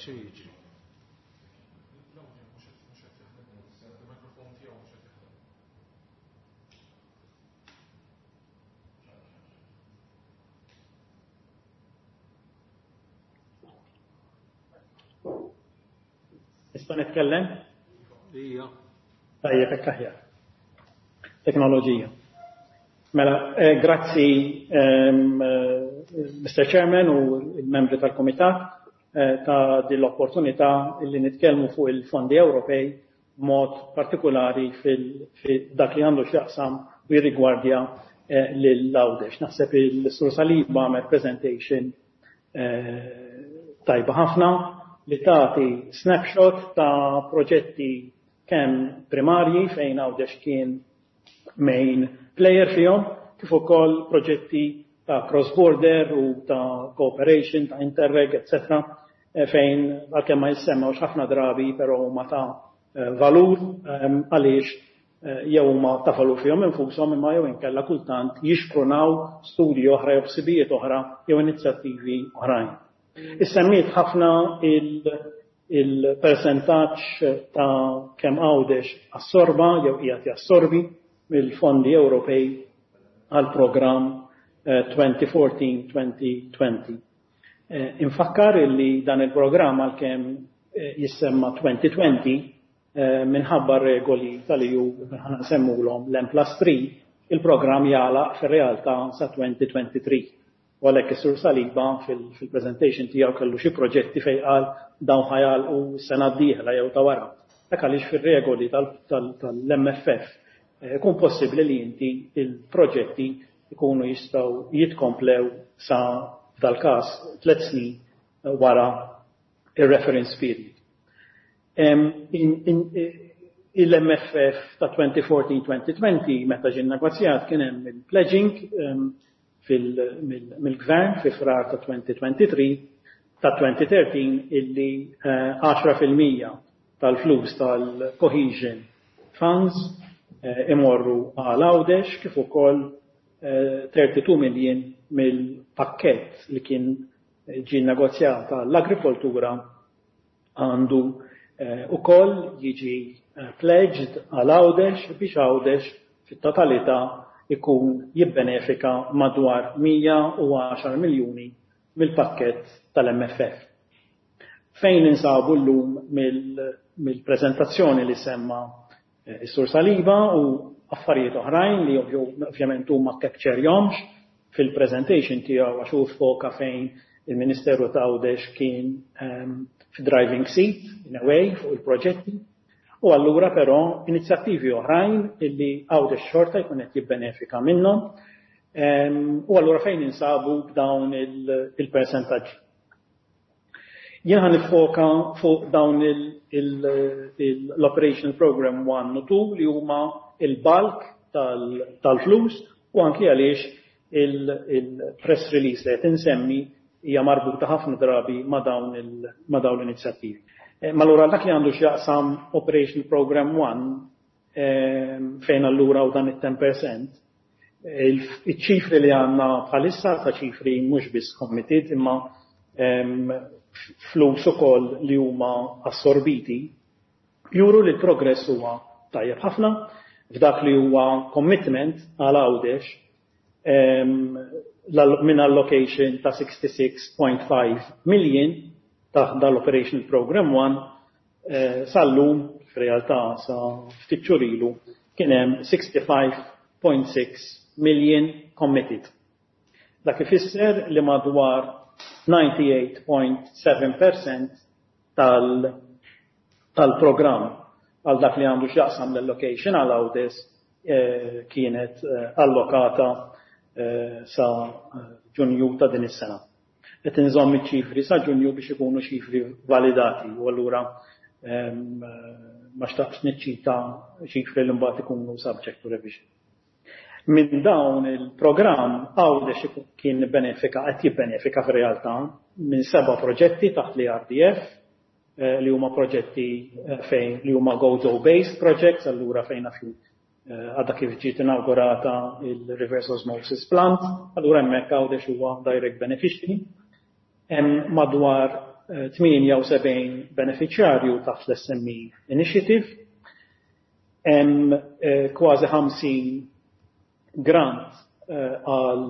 Xi jiġri? Nista' nitkellem? Ija. Tajjeb, hekk aħjar. Teknoloġija. Mela, grazzi Mister Chairman u l-membri tal-Kumitat ta' din l-opportunità li nitkellmu fuq il-fondi Ewropej b'mod partikolari fil-dak li għandu x'jaqsam u jirrigwardja lil Għawdex. Naħseb il-Sur Saliba għamel presentation tajba ħafna li tagħti snapshot ta' proġetti kemm primarji fejn Għawdex kien main player fihom, kif ukoll proġetti ta' cross-border u ta' cooperation, ta' Interreg, eccetera, fejn għalkemm ma jissemmewx ħafna drabi, però huma ta' valur għaliex jew huma ta' valur fihom infushom imma jew inkella kultant jixprunaw studji oħra jew ħsibijiet oħra jew inizjattivi oħrajn. Issemmiet ħafna il-percentaġġ ta' kemm Għawdex assorba jew qiegħed jassorbi mill-fondi Ewropej għal programm twenty fourteen twenty twenty. Infakkar illi dan il-programm għalkemm jissemma twenty twenty minħabba regoli tal-E U ħana nsemmulhom l-M plus three, il-programm jagħlaq fir-realtà sa twenty twenty-three. U għalhekk is-Sur Saliba fil-presentation tiegħu kellu xi proġetti fejn qal dawn ħajalqu s-sena d-dieħla jew ta' wara. Dak għaliex fir-regoli tal-M F F ikun possibbli li inti il-proġetti ikunu jistgħu jitkomplew sa f'dal-każ tliet snin wara ir-reference period. Il-M F F ta' twenty fourteen twenty twenty meta ġie nnegozjat kien hemm il-pledging mill-gvern fi frar ta' twenty twenty-three ta' twenty thirteen illi għaxra fil-mija tal-flus tal-cohesion funds imorru għal Għawdex kif ukoll thirty-two million mill-pakkett li kien ġie nnegozjat għall-agrikoltura għandu ukoll jiġi pledged għal Għawdex biex Għawdex fit-totalità ikun jibbenefika madwar mija u għaxar miljuni mill-pakkett tal-M F F. Fejn insabu llum mill-prezentazzjoni li semma is-Sur Saliba u affarijiet oħrajn li ovvjament huma capture-jomx fil-presentation tiegħu, għax hu foka fejn il-Ministeru ta' Għawdex kien driving seat in a way fuq il-proġetti. U allura però inizjattivi oħrajn illi Għawdex xorta jkun qed jibbenefika minnhom. U allura fejn insabu b'dawn il-percentaġġi. Jien ħa nifoka fuq dawn l-Operational Program one u two li huma il-bulk tal-flus u anki għaliex il-press release li qed insemmi hija marbuta ħafna drabi ma' dawn l-inizjattivi. Ma allura dak li għandu x'jaqsam Operational Program one, fejn allura u dan it-ten percent, il-ċifri li għandna bħalissa ta' ċifri mhux biss committed imma flus ukoll li huma assorbiti juru li l-progress huwa tajjeb ħafna. F'dak li huwa commitment għal Għawdex, minn allocation ta' sixty-six point five million ta' dal-Operational Program one, sal-lum, f'realtà sa ftit xhur ilu, kien hemm sixty-five point six million committed. Dak ifisser li madwar disgħa u tmenin punt seba' percent tal-programm għal dak li għandu x'jaqsam l-allocation għal Għawdex kienet allokata sa Ġunju ta' din is-sena. Qed inżomm iċ-ċifri sa Ġunju biex ikunu ċifri validati u allura ma xtaqx niċċita ċifri li mbagħad ikunu subject to revision. Minn dawn il-programm Għawdex kien benefika, qed jibbenefika fir-realtà minn seba' proġetti taħt l-E R D F li huma proġetti fejn li huma Gozo based projects, allura fejn fi għadha kif ġiet inaugurata il-reverse osmosis plant, allura hemmhekk Għawdex huwa direct beneficiary. Hemm madwar tmienja u sebgħin beneficjarju taħt l-S M E Initiative. Hemm kważi ħamsin grant għal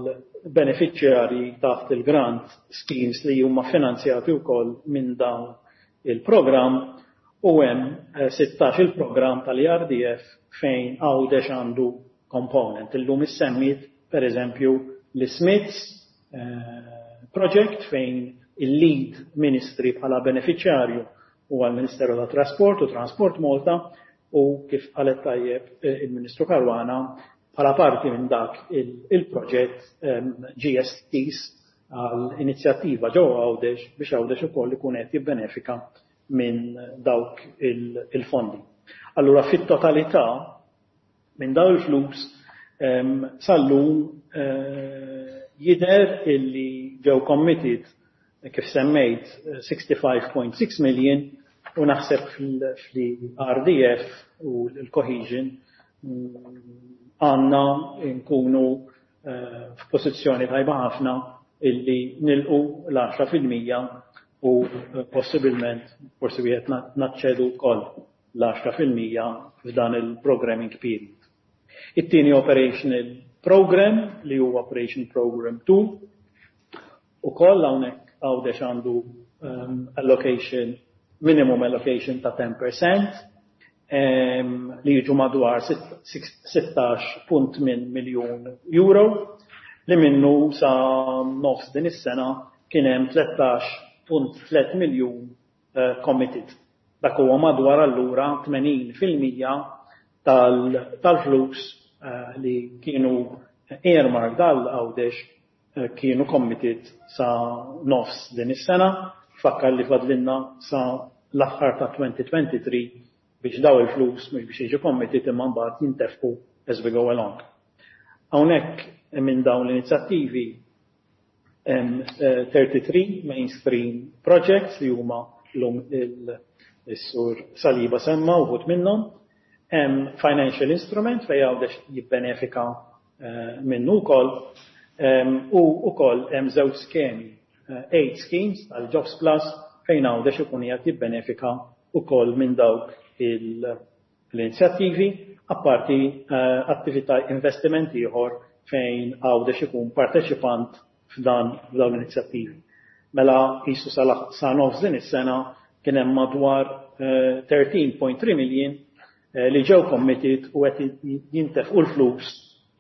beneficjari taħt il-grant schemes li huma finanzjati wkoll minn dawn il-programm u hemm sittax il-programm tal-E R D F fejn Għawdex għandu component. Illum issemmit per eżempju l-Smiths project, fejn il-lead ministry bħala beneficjarju huwa l-Ministeru ta' Trasport u Transport Malta u kif qalet tajjeb il-Ministru Caruana, bħala parti minn dak il-proġett G S Ts għal inizjattiva ġewwa Għawdex biex Għawdex ukoll ikun qed jibbenefika minn dawk il-fondi. Allura fit-totalità minn dawn il-flus sal-lum jidher illi ġew committed, kif semmejt, sixty-five point six million u naħseb fl-E R D F u l-cohesion għandna nkunu f'pożizzjoni tajba ħafna illi nilħqu l-għaxra fil-mija u possibilment forsi wieħed naċċedu wkoll l-għaxra fil-mija f'dan il-programming period. It-tieni operational program, li huwa Operation Program two, ukoll hawnhekk Għawdex għandu allocation, minimum allocation ta' ten percent li jiġu madwar sittax punt tmien miljun euro, li minnu sa nofs din is-sena kien hemm tlettax punt tlieta miljun committed. Dak huwa madwar allura tmenin fil-mija tal-flus li kienu earmarked għal Għawdex kienu committed sa nofs din is-sena. Fakkar li fadlinna sa l-aħħar ta' twenty twenty-three biex daw il-flus mhux biex jiġu committed imma mbagħad jintefqu as we go along. Hawnhekk minn dawn l-inizjattivi hemm thirty-three mainstream projects li huma llum il-Sur Saliba semma uħud minnhom. Hemm financial instrument fejn Għawdex jibbenefika minnu wkoll u wkoll hemm żewġ skemi, eight schemes tal-Jobs Plus, fejn Għawdex ikun qiegħed jibbenefika wkoll minn dawk l-inizjattivi, apparti attività investiment ieħor fejn Għawdex ikun parteċipant f'dan f'dawn l-inizjattivi. Mela qisu sa nofs din is-sena kien hemm madwar tlettax punt tlieta million li ġew committed u qed jintefqu l-flus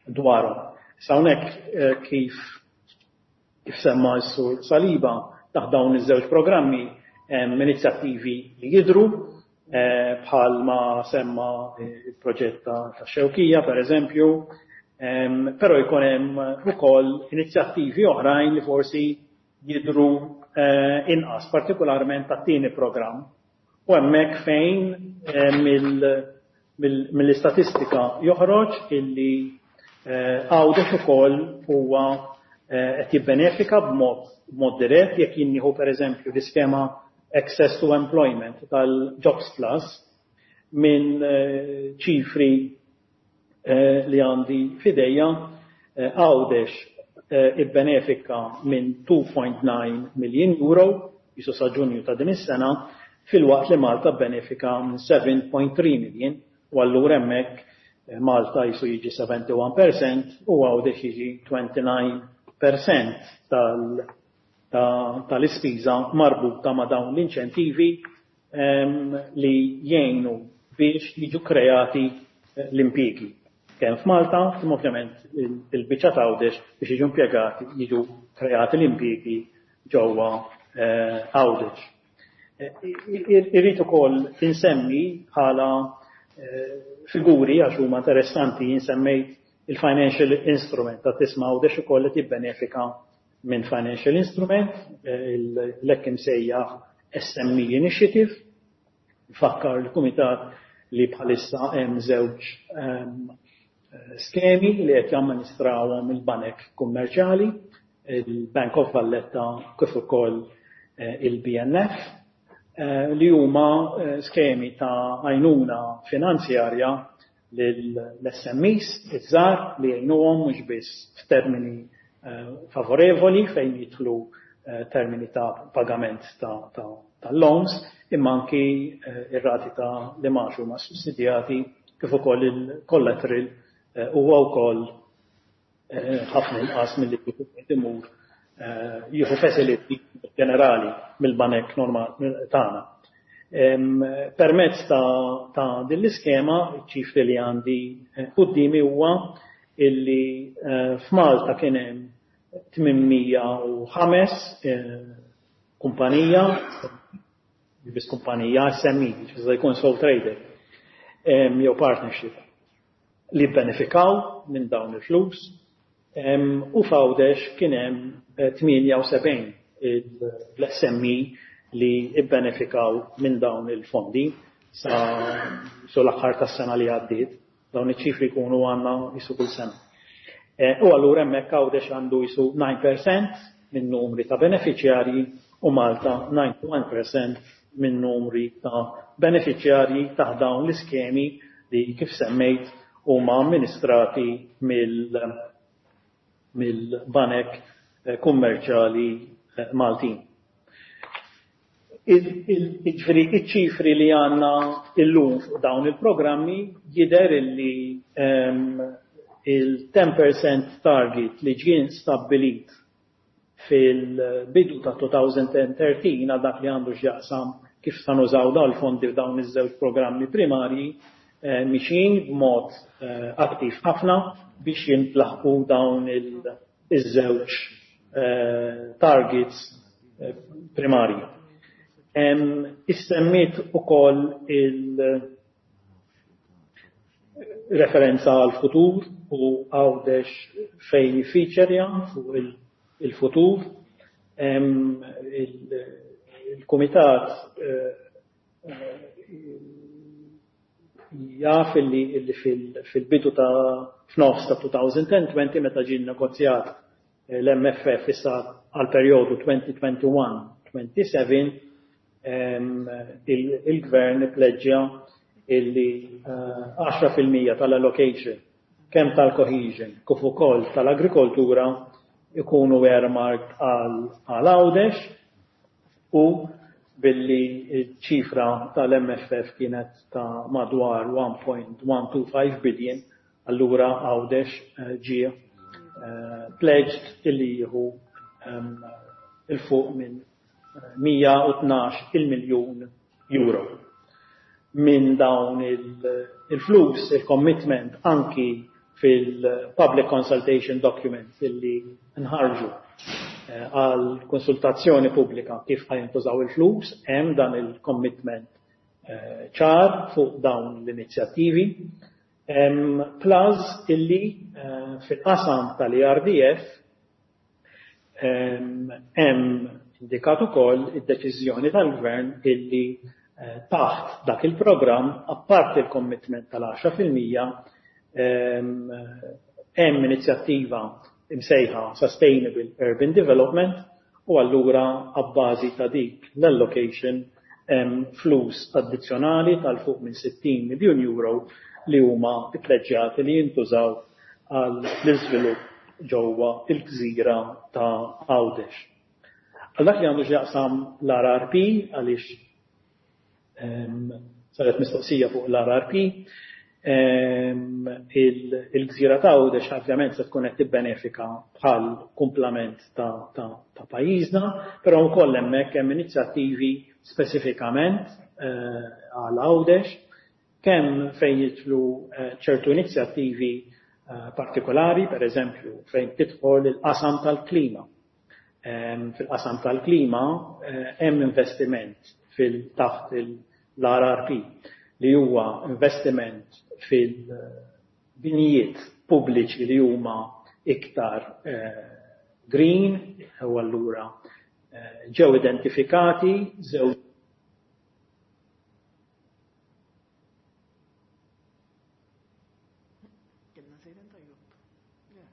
dwarhom. Sa hawnhekk, kif kif semma s-Sur Saliba, taħt dawn iż-żewġ programmi hemm inizjattivi li jidru, bħal ma semma il-proġett ta' Xewkija, per eżempju, però jkun hemm ukoll inizjattivi oħrajn li forsi jidru inqas, partikolarment tat-tieni programm. U hemmhekk fejn mill-istatistika joħroġ illi Għawdex ukoll huwa qed jibbenefika b'mod dirett. Jekk jien per eżempju l-iskema Access to Employment tal-Jobs Plus, minn ċifri li għandi f'idejja, Għawdex ibbenefika minn two point nine million euro jisu sa Ġunju ta' din is-sena, filwaqt li Malta benefika minn seven point three million, u allura hemmhekk Malta jisu jiġi sebgħa u sebgħin fil-mija u Għawdex jiġi disgħa u għoxrin fil-mija tal-ispiża marbuta ma' dawn l-inċentivi li jgħinu biex jiġu kreati l-impjiegi. Kemm f'Malta, kemm ovvjament il-biċċa ta' Għawdex biex jiġu impjegati, jiġu kreati l-impjiegi ġewwa Għawdex. Irrid ukoll insemmi bħala figuri, għax huma interessanti, insemmejt il-financial instrument ta' tisma' Għawdex ukoll qed jibbenefika minn financial instrument, l-hekk imsejjaħ S M E Initiative. Fakkar l-Kumitat li bħalissa hemm żewġ skemi li qed jamministrawhom il-banek kummerċjali, il-Bank of Valletta kif ukoll il-B N F, li huma skemi ta' għajnuna finanzjarja l-S M Es iż-żgħar li jgħinuhom mhux biss f'termini favorevoli fejn jidħlu termini ta' pagament ta' loans, imma anki ir-rati ta' l-imgħax huma sussidjati, kif ukoll il-collateral huwa wkoll ħafna inqas milli imur jieħu facility ġenerali mill-banek normali tagħna. Permezz ta' din l-iskema, ċifri li għandi quddiemi huwa illi f'Malta kien hemm tmien mija u ħames kumpanija, biss kumpanija S M E, ġifieri jkun sole trader, jew partnership, li benefikaw minn dawn il-flus, u f'Għawdex kien hemm tmienja u sebgħin l-S M E li ibbenefikaw minn dawn il-fondi sa l-aħħar tas-sena li għaddiet. Dawn iċ-ċifri jkunu għandna jisu kull sena. U allura hemmhekk Għawdex għandu jisu disa fil-mija minn numri ta' beneficjarji u Malta disgħa u disgħin fil-mija minn numri ta' beneficjarji ta' dawn l-iskemi li, kif semmejt, huma amministrati mill-banek kummerċjali Maltin. Ġifieri, iċ-ċifri li għandna illum fuq dawn il-programmi jidher illi il-ten percent target li ġien stabbilit fil-bidu ta' elfejn u tlettax għal dak li għandu x'jaqsam kif sa nużaw dawn il-fondi f'dawn iż-żewġ programmi primarji mixin b'mod attiv ħafna biex jintlaħqu dawn iż-żewġ targets primarji. Issemmiet ukoll il-referenza għal futur u Għawdex fejn feature fuq il-futur. Il-Kumitat jaf illi fil-bidu ta' f'nofs ta' elfejn u għoxrin, meta ġie negozjat l-M F F issa għal perjodu elfejn u wieħed u għoxrin twenty-seven, il-gvern ipleġġja illi għaxra fil-mija tal-allocation kemm tal-cohesion kif ukoll tal-agrikoltura ikunu earmarked għal Għawdex u billi ċ-ċifra tal-M F F kienet ta' madwar one point one two five billion, allura Għawdex ġie pledged illi jieħu 'il fuq minn mija u tnax-il miljun euro. Minn dawn il-flus, il-commitment anki fil-public consultation documents illi nħarġu għal konsultazzjoni pubblika kif ħa jintużaw il-flus, hemm dan il-commitment ċar fuq dawn l-inizjattivi. Plus illi fil-qasam tal-E R D F hemm indikat ukoll id-deċiżjoni tal-Gvern illi taħt dak il-programm, apparti il-commitment tal-għaxra fil-mija, hemm inizjattiva imsejħa Sustainable Urban Development u allura abbażi ta' dik l-allocation hemm flus addizzjonali ta' 'l fuq minn sittin miljun euro li huma ppleġġjati li jintużaw għal l-iżvilupp ġewwa il-gżira ta' Għawdex. Għal dak li għandu x'jaqsam l-R R P, għaliex saret mistoqsija fuq l-R R P, il-gżira ta' Għawdex ovvjament se tkun qed tibbenefika bħal kumplament ta' pajjiżna, però wkoll hemmhekk hemm inizjattivi speċifikament għal Għawdex, kemm fejn jidħlu ċertu inizjattivi partikolari, per eżempju, fejn tidħol il-qasam tal-klima. Fil-qasam tal-klima hemm investiment fil-taħt l-R R P li huwa investiment fil-binijiet pubbliċi li huma iktar green, u allura ġew identifikati żewġ Kellna sejren tajjeb. Yeah.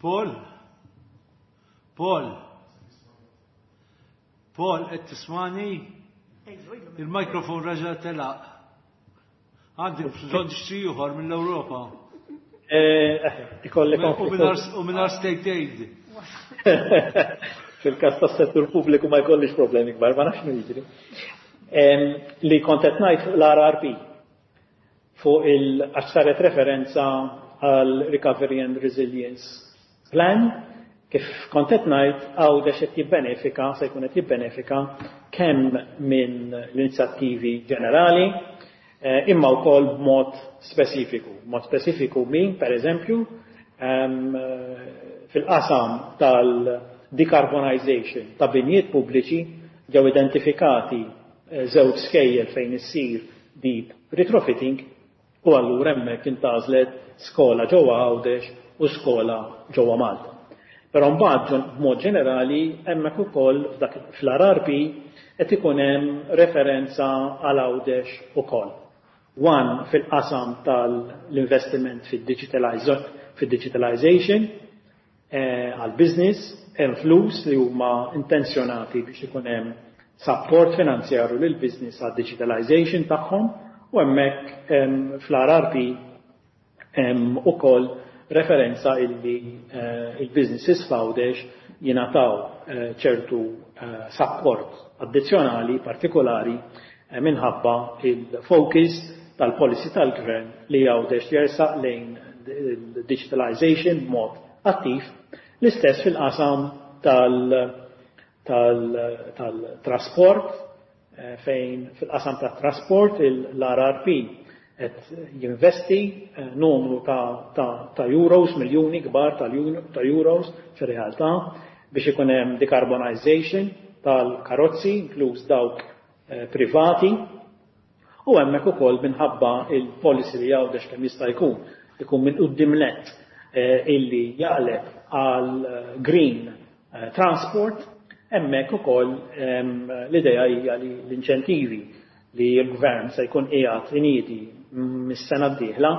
Paul? Paul? Paul, qed tismani? Ejlu, ilu. Il-mikrofon raġa telaq. Għandi bżonn xi ieħor mill-Ewropa. Ikolli U mingħajr u mingħajr state aid. Fil-każ tas-settur pubbliku ma jkollix problemi kbar, ma nafx min jiġri. Li kont qed ngħid fuq l-R R P, fuq il għax saret referenza għal Recovery and Resilience Plan, kif kont qed ngħid, Għawdex qed jibbenefika, se jkun qed jibbenefika kemm minn l-inizjattivi ġenerali, eh, imma wkoll b'mod speċifiku. Mod speċifiku min, per eżempju, fil-qasam tal-decarbonization ta' binjiet pubbliċi ġew identifikati żewġ skejjel fejn issir deep retrofitting u allura hemmhekk intgħażlet skola ġewwa Għawdex u skola ġewwa Malta. Però mbagħad b'mod ġenerali hemmhekk ukoll f'dak fl-R R P qed ikun hemm referenza għal Għawdex ukoll. One fil-qasam tal-investiment fid-digitalization għal business, hemm flus li huma intenzjonati biex ikun hemm support finanzjarju lil business għad digitalization tagħhom u hemmhekk fl-R R P hemm ukoll referenza illi il-businesses f'Għawdex jingħataw ċertu support addizzjonali partikolari minħabba il-focus tal-policy tal-gvern li Għawdex jersaq lejn il-digitalization b'mod attiv. L-istess fil-qasam tal-trasport, fejn fil-qasam tat-trasport l-R R P qed jinvesti numru ta', ta, ta euros, miljuni kbar ta' euros fir-realtà biex ikun hemm decarbonization tal-karozzi, inkluż dawk privati, u hemmhekk ukoll minħabba il-policy li Għawdex kemm jista' jkun ikun minn quddiem net illi jaqleb għal green transport, hemmhekk ukoll l-idea hija li l-inċentivi li l-gvern se jkun qiegħed iniedi mis-sena d-dieħla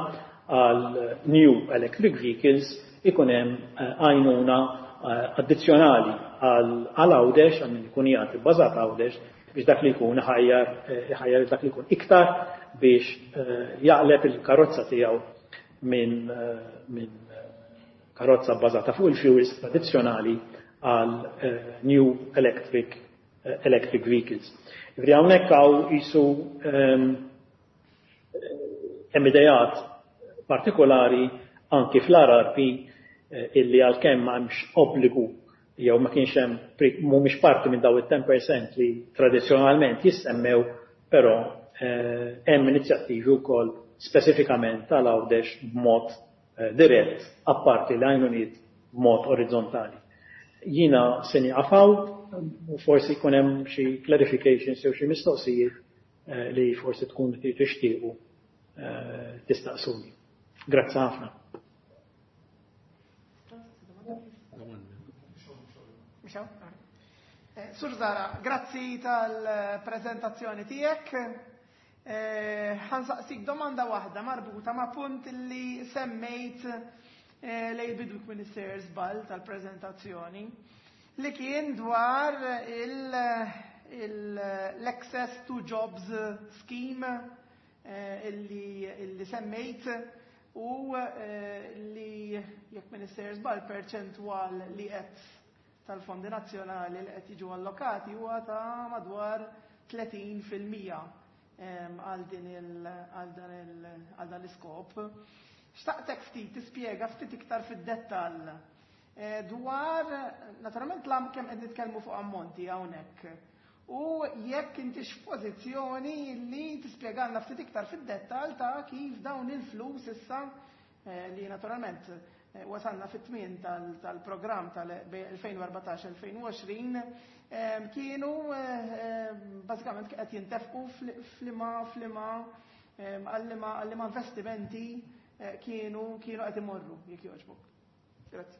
għal new electric vehicles ikun hemm għajnuna addizzjonali għal Għawdex, għal min ikun qiegħed ibbażat Għawdex, biex dak li jkun iħajjar iħajjar dak li jkun iktar biex jaqleb il-karozza tiegħu minn min karozza bbażata fuq il-fuels tradizzjonali għal new electric electric vehicles. Jiġifieri hawnhekk hawn qisu hemm ideat partikolari anki fl-R R P illi għalkemm ma hemmx obbligu jew ma kienx hemm, mhumiex parti minn daw it-ten percent li tradizzjonalment jissemmew, però hemm inizjattivi wkoll speċifikament tal-Għawdex b'mod dirett, apparti l-għajnuniet b'mod orizzontali. Jiena se nieqaf hawn u forsi jkun hemm xi clarifications jew xi mistoqsijiet li forsi tkun tixtiequ tistaqsuni. Grazzi ħafna. Sur Zara, grazzi tal-prezentazzjoni tiegħek. Ħa nsaqsik domanda waħda marbuta ma' punt li semmejt lejn bidu Minister żball tal-prezentazzjoni, li kien dwar l-Access to Jobs Scheme illi, illi semmejt u li, jekk Minister żball, perċentwal li qed tal-fondi nazzjonali li qed jiġu allokati huwa ta' madwar tletin fil-mija għal din għal dan l-iskop. Xtaqtek ftit tispjega ftit iktar fid-dettall dwar naturalment lam kemm qed nitkellmu fuq ammonti hawnhekk. U jekk intix f'pożizzjoni li tispjegalna ftit iktar fid-dettall ta' kif dawn il-flus issa, li naturalment wasalna fit-tmien tal-programm tal-elfejn u erbatax-elfejn u għoxrin, kienu bażikament qed jintefqu flima flima għal investimenti kienu kienu qed imorru, jekk jogħġbok. Grazzi.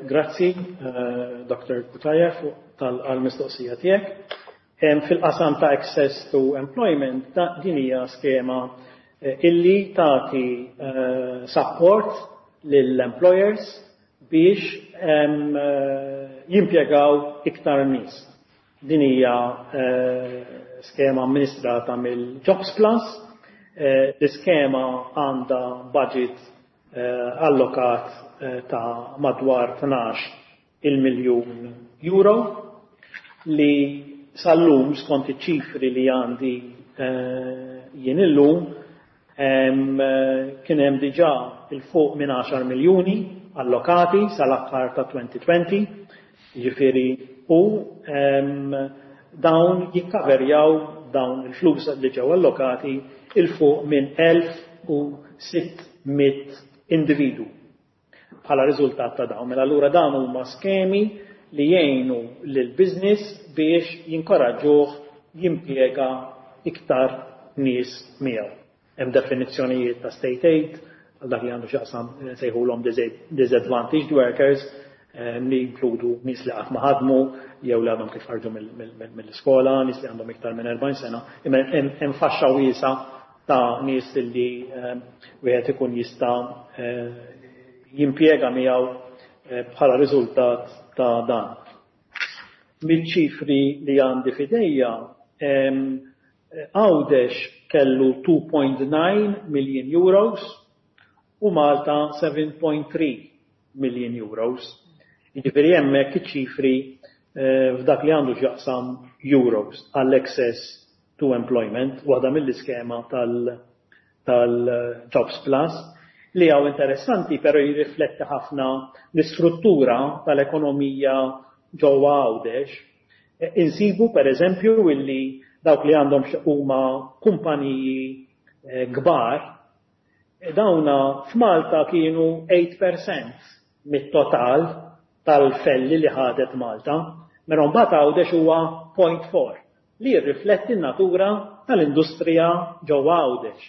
Grazzi, Doctor Cutajar, tal-mistoqsija tiegħek. Fil-qasam ta' Access to Employment, din hija skema illi tagħti support lill-employers biex jimpjegaw iktar nies. Din hija skema amministrata mill-Jobs Plus. L-iskema għandha budget allokat ta' madwar tnax il-miljun euro li sal-lum, skont iċ-ċifri li għandi jien illum, kien hemm diġà 'il fuq minn għaxar miljuni allokati sal-aħħar ta' elfejn u għoxrin, jiġifieri u dawn jikkaverjaw, dawn il-flus li ġew allokati, 'il fuq minn elf u sitt mitt individu bħala riżultat ta' dawn. Mela allura dawn huma skemi li jgħinu lil business biex jinkoraġġuh jimpjega iktar nies miegħu. Hemm definizzjonijiet ta' state aid għal dak li għandu x'jaqsam sejħulhom disadvantaged workers, li jinkludu nies li qatt ma ħadmu jew li għadhom kif ħarġu mill-iskola, nies li għandhom iktar minn erbgħin sena, imma hemm faxxa wiesgħa ta' nies li wieħed ikun jista' jimpjega miegħu bħala riżultat ta' dan. Mill-ċifri li għandi f'idejja, Għawdex kellu two point nine million euros u Malta seven point three million euros. Jiġifieri hemmhekk iċ-ċifri f'dak li għandu x'jaqsam euros għall-Access to Employment, waħda mill-iskema tal-Jobs Plus, li hawn interessanti però jirrifletti ħafna l-istruttura tal-ekonomija ġewwa Għawdex. Insibu per eżempju illi dawk li għandhom huma kumpaniji kbar, dawna f'Malta kienu eight percent mit-total tal-felli li ħadet Malta, mela mbagħad Għawdex huwa zero point four, li jirrifletti n-natura tal-industrija ġewwa Għawdex.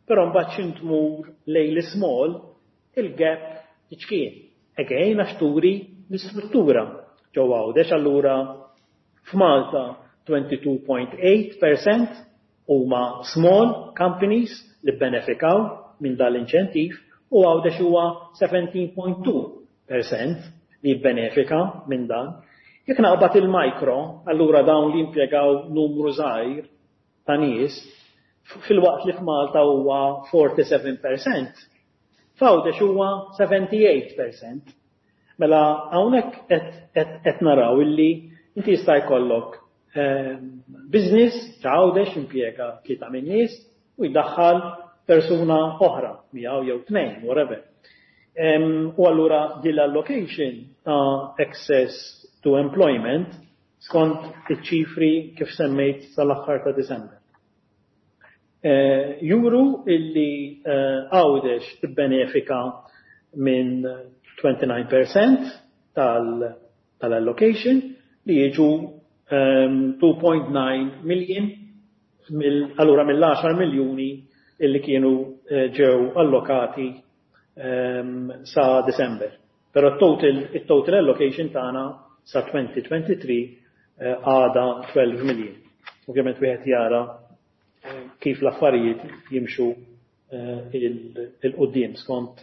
Però mbagħad xi tmur lejn l-small, il-gap tiċkien. Again, għax turi l-istruttura ġewwa Għawdex. Allura f'Malta twenty-two point eight percent huma small companies li benefikaw minn dal-inċentiv u Għawdex huwa seventeen point two percent li benefika minn dan. Jekk naqbad il-micro, allura dawn li impjegaw numru żgħir ta' nies, Filwaqt li f'Malta huwa forty-seven percent, f'Għawdex huwa seventy-eight percent. Mela hawnhekk qed naraw illi inti jista' jkollok ehm, business f'Għawdex impjega tlieta minn nies u jdaħħal persuna oħra, miegħu jew tnejn, whatever. U allura din l-allocation ta' access to employment skont iċ-ċifri kif semmejt sal-aħħar ta' December Eh, juru illi eh, Għawdex tibbenefika minn twenty-nine percent tal-allocation li jiġu two point nine ehm, million, allura mill-għaxar miljuni illi kienu eh, ġew allokati ehm, sa December. Però total, il-total allocation tagħna sa twenty twenty-three għada twelve million. Ovvjament wieħed jara kif l-affarijiet jimxu eh, 'il quddiem skont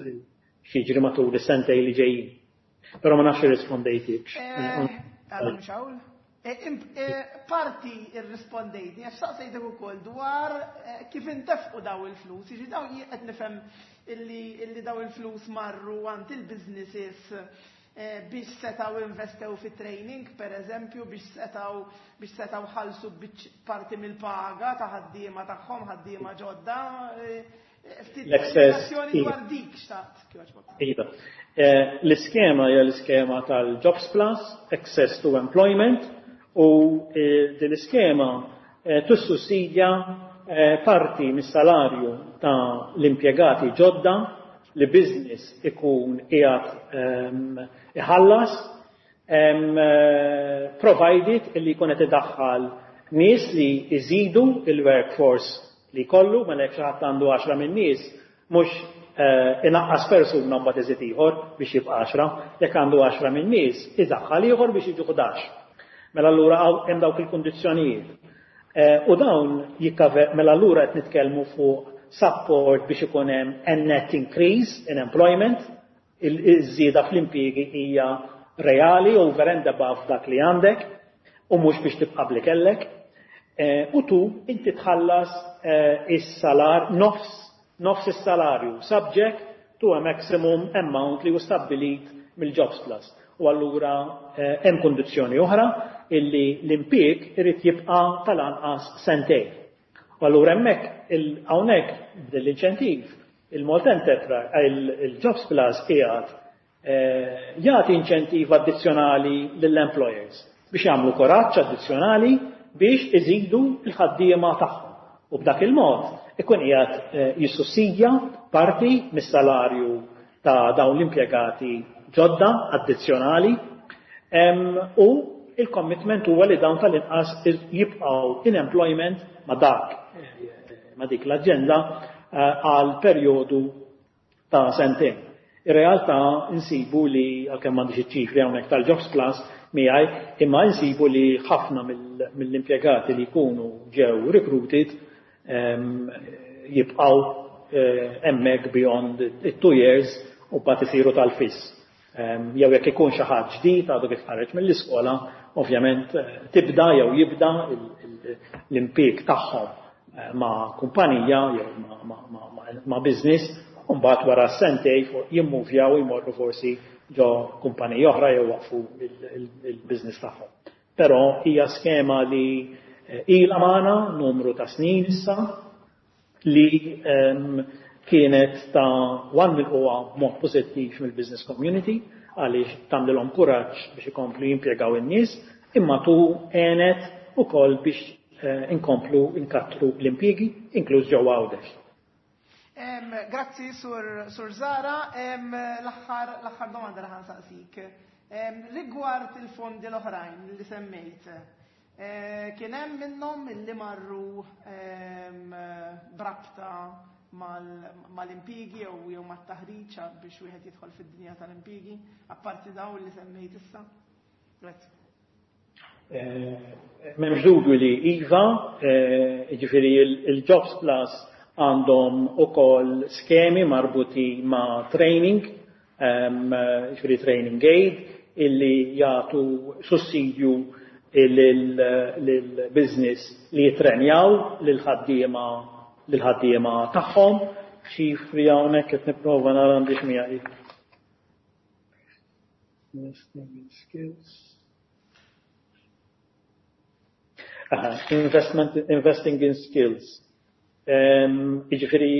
x'jiġri matul is-sentej li ġejjin. Però ma nafx irrispondejtikx. Eh, eh, parti irrispondejtni, għax saqsejtek ukoll dwar kif intefqu daw il-flus, jiġi daw qed nifhem illi daw il-flus marru għand il-businesses Eh, biex setaw investew fi training, per eżempju, biex setaw biex setaw ħalsu parti mill-paga ta' ħaddiema tagħhom, ħaddiema ġodda. Eh, ftit dwar dik xtaqt. Iva. Eh, l-iskema hija l-iskema tal-Jobs Plus, Access to Employment, u din l-iskema tissussidja parti mis-salarju ta' l-impjegati ġodda li business ikun qiegħed ehm, iħallas ehm, provided illi jkun qed idaħħal nies li jżidu il-workforce li kollu. Mela jekk xi ħadd għandu għaxra minn nies, mhux eh, inaqqas persuna mbagħad iżid ieħor biex jibqa' għaxra, jekk għandu għaxra minn nies, idaħħal ieħor biex jiġu ħdax. Mela allura hemm dawk il-kundizzjonijiet. Eh, u dawn jikkaver, mela allura qed nitkellmu fuq support biex ikun hemm a net increase in employment, il-żieda fl-impjiegi hija reali over and above dak li għandek u mhux biex tibqa' bli kellek. Eh, u tu inti tħallas eh, is-salar nofs nofs is-salarju subject to a maximum amount li hu stabbilit mill-Jobs Plus. U allura eh, hemm kondizzjoni oħra illi l-impjieg irid jibqa' tal-anqas sentejn. U allura hemmhekk hawnhekk b'dil-inċentiv il-Malta Enterprise, il-Jobs Plus qiegħed eh, jagħti inċentiv addizzjonali lill-employers biex jagħmlu kuraġġ addizzjonali biex iżidu l-ħaddiema tagħhom. U b'dak il-mod ikun qiegħed eh, jissussidja parti mis-salarju ta' dawn l-impjegati ġodda addizzjonali u il-commitment huwa li dawn tal-inqas jibqgħu in employment ma' dak ma' dik l-aġenda eh, għal perjodu ta' sentejn. Ir-realtà insibu li, għalkemm m'għandix iċ-ċifri hawnhekk tal-Jobs Plus miegħi, imma insibu li ħafna mill-impjegati li jkunu ġew recruited jibqgħu eh, hemmhekk beyond it-two years u mbagħad isiru tal-fiss. Jew jekk ikun xi ħadd ġdid għadu kif ħareġ mill-iskola, ovvjament eh, tibda jew jibda l-impjieg tagħhom eh, ma' kumpanija jew ma' business u mbagħad wara sentej jimmuvjaw, jmorru forsi ġo kumpanija oħra jew waqfu il-business tagħhom. Però hija skema li eh, ilha magħna numru ta' snin issa li kienet ta' one milquha mod pożittiv mill-business community għaliex tagħmlilhom kuraġġ biex ikomplu jimpjegaw in-nies, imma tu għenet ukoll biex eh, inkomplu inkattru l-impjiegi, inkluż ġewwa Għawdex. Grazzi, Sur, Sur Zara. L-aħħar domanda li ħa nsaqsik. Rigward il-fondi l-oħrajn li semmejt, eh, kien hemm minnhom li marru b'rabta mal-impjiegi jew jew mat-taħriġ biex wieħed jidħol fid-dinja tal-impjiegi, apparti dawn li semmejt issa? Grazzi. Eh, m'hemmx dubju li iva, eh, ġifieri il-Jobs Plus għandhom ukoll skemi marbuti ma' training, ġifieri training aid, illi jagħtu sussidju lill-business li jitrenjaw lil ħaddiema. lill-ħaddiema tagħhom. Ċifri hawnhekk qed nipprova nara għandix miegħi. Investing in skills. Aha, investment, investing in skills. Jiġifieri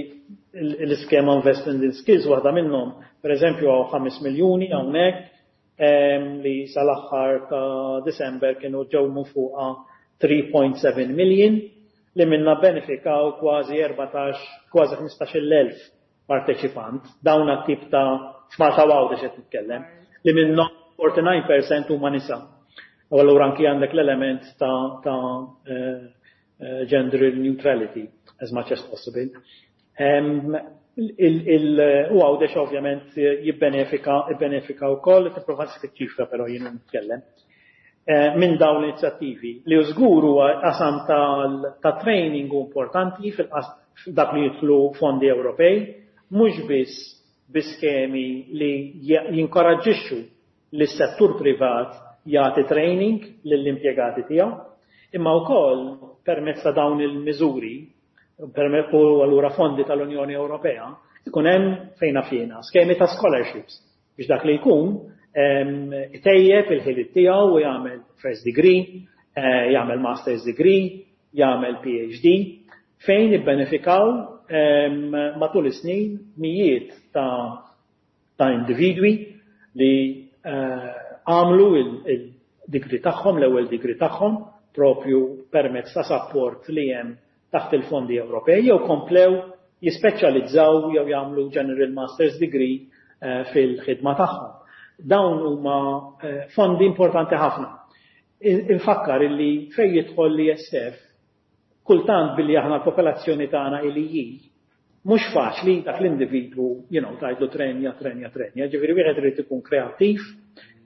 l-iskema Investment in Skills waħda minnhom, pereżempju hawn ħames miljuni hawnhekk li sal-aħħar ta' December kienu ġew fuqha three point seven million li minna benefikaw kważi erbatax, kważi ħmistax-il elf parteċipant. Dawn tip ta' f'Malta Għawdex qed nitkellem, li minnhom forty-nine percent huma nisa. U allura anki għandek l-element ta', ta', eh, eh, gender neutrality as much as possible. Em, il, il, u Għawdex ovvjament jibbenefika, jibbenefika wkoll, tipprova nsib iċ-ċifra però jien nitkellem. Eh, minn dawn l-inizjattivi li żgur huwa qasam tal-, ta' training importanti fil-qas dak li jidħlu fondi Ewropej, mhux biss bi skemi li jinkoraġġixxu lis-settur privat jagħti training lill-impjegati tiegħu, imma wkoll permezz ta' dawn il-miżuri u allura fondi tal-Unjoni Ewropea, ikun hemm fejn fjena skemi ta' scholarships biex dak li jkun, em, itejjeb il-ħiliet tiegħu u jagħmel first degree, eh, jagħmel master's degree, jagħmel P H D, fejn ibbenefikaw, em, matul is-snin mijiet ta', ta' individwi li, eh, għamlu il-degree tagħhom, l-ewwel degree tagħhom, propju permezz ta' support li hemm taħt il-fondi Ewropej, jew komplew jispeċjalizzaw jew jagħmlu General Master's Degree, eh, fil-ħidma tagħhom. Dawn huma, eh, fondi importanti ħafna. In-, infakkar illi fejn jidħol l-E S F, kultant billi aħna l-popolazzjoni tagħna illi hi, mhux faċli dak l-individwu, you know, tgħidlu trenja, trenja, trenja, ġifieri wieħed irid ikun kreattiv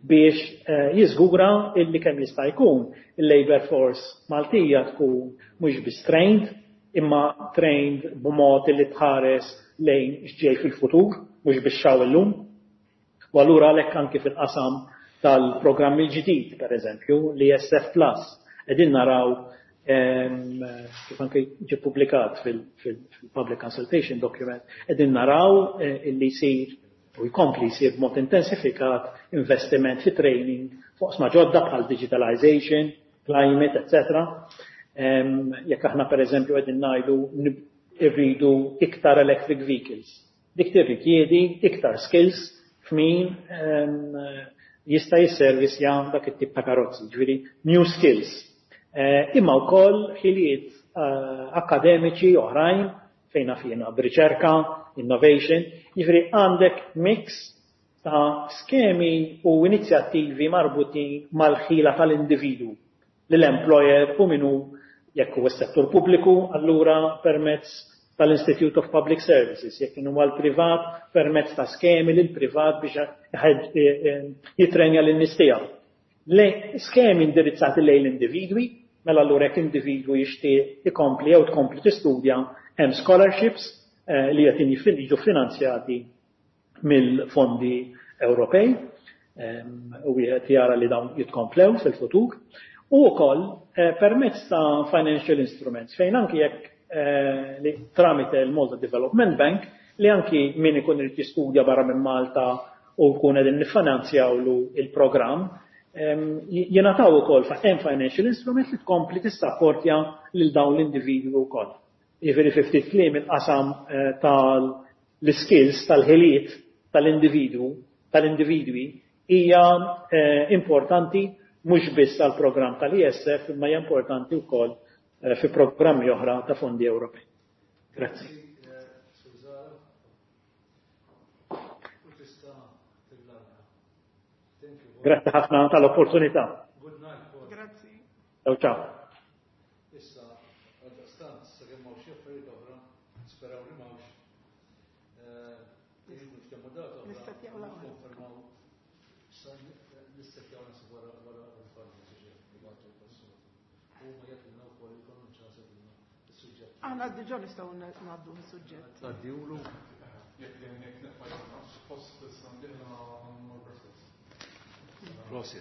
biex, eh, jiżgura illi kemm jista' jkun il-labor force Maltija tkun mhux biss trained, imma trained b'mod li tħares lejn x'ġej fil-futur, mhux biex xaw illum. U allura għalhekk anki fil-qasam tal-programm il-ġdid, per eżempju, l-E S F Plus, qegħdin naraw, em, kif anki ġie ppubblikat fil-, fil-, fil-Public Consultation Document, qegħdin naraw, eh, illi jsir u jkompli jsir b'mod intensifikat investiment fi training fuq sma ġodda bħal digitalization, climate, et cetera. Em, jekk aħna per eżempju qegħdin ngħidu nib-, irridu iktar electric vehicles, dik tirrikjedi iktar skills f'min, em, jista' jisservisja dak it-tip ta' karozzi, ġifieri new skills. Eh, imma wkoll ħiliet, eh, akademiċi oħrajn fejn fina b'riċerka, innovation, jiġifieri għandek mix ta' skemi u inizjattivi marbutin mal-ħila tal-individu l-employer u minu jekk huwa s-settur pubbliku, allura permezz tal-Institute of Public Services, jekk inhu għall-privat permezz ta' skemi lil privat biex jħed, e, e, jitrenja lin nies tiegħu. Le skemi indirizzati lejn l-individwi, mela allura jekk individwu jixtieq ikompli jew tkompli tistudja, hemm scholarships, eh, li qed jiġu finanzjati mill-fondi Ewropej, ehm, u wieħed jara li dawn jitkomplew fil-futur, u wkoll, eh, permezz ta' financial instruments fejn anki jekk, eh, li tramite l-Malta Development Bank li anki min ikun irid jistudja barra minn Malta u jkun qegħdin niffinanzjawlu il-programm, ehm, jingħataw ukoll fa' hemm financial instrument li tkompli tissapportja lil dawn l-individwi wkoll. Jiġifieri fi ftit kliem il-qasam, eh, tal-skills, tal-ħiliet tal-individwu, tal-individwi hija, eh, importanti mhux biss għall-programm tal-E S F imma hija importanti wkoll, eh, fi programmi oħra ta' fondi Ewropej. Grazzi. Grazzi ħafna tal-opportunità. Good night, Paul. Grazzi. Ciao, ciao. Issa, għaldaqstant, sakemm hawn xi affarijiet oħra, nisperaw li m'hawnx. Eh, nitkellmu data oħra, Nistatjaw l-aħħar. nikkonfermaw. Issa nistatjaw nasib wara wara l-farma, ġifieri, huma jagħtuna wkoll jkollhom ċans jagħtuna is-suġġett. Aħna diġà nistgħu ngħaddu is-suġġett. Tgħaddiwlu. Jekk jekk naqbad, suppost issa ndieħla għandna Prosit.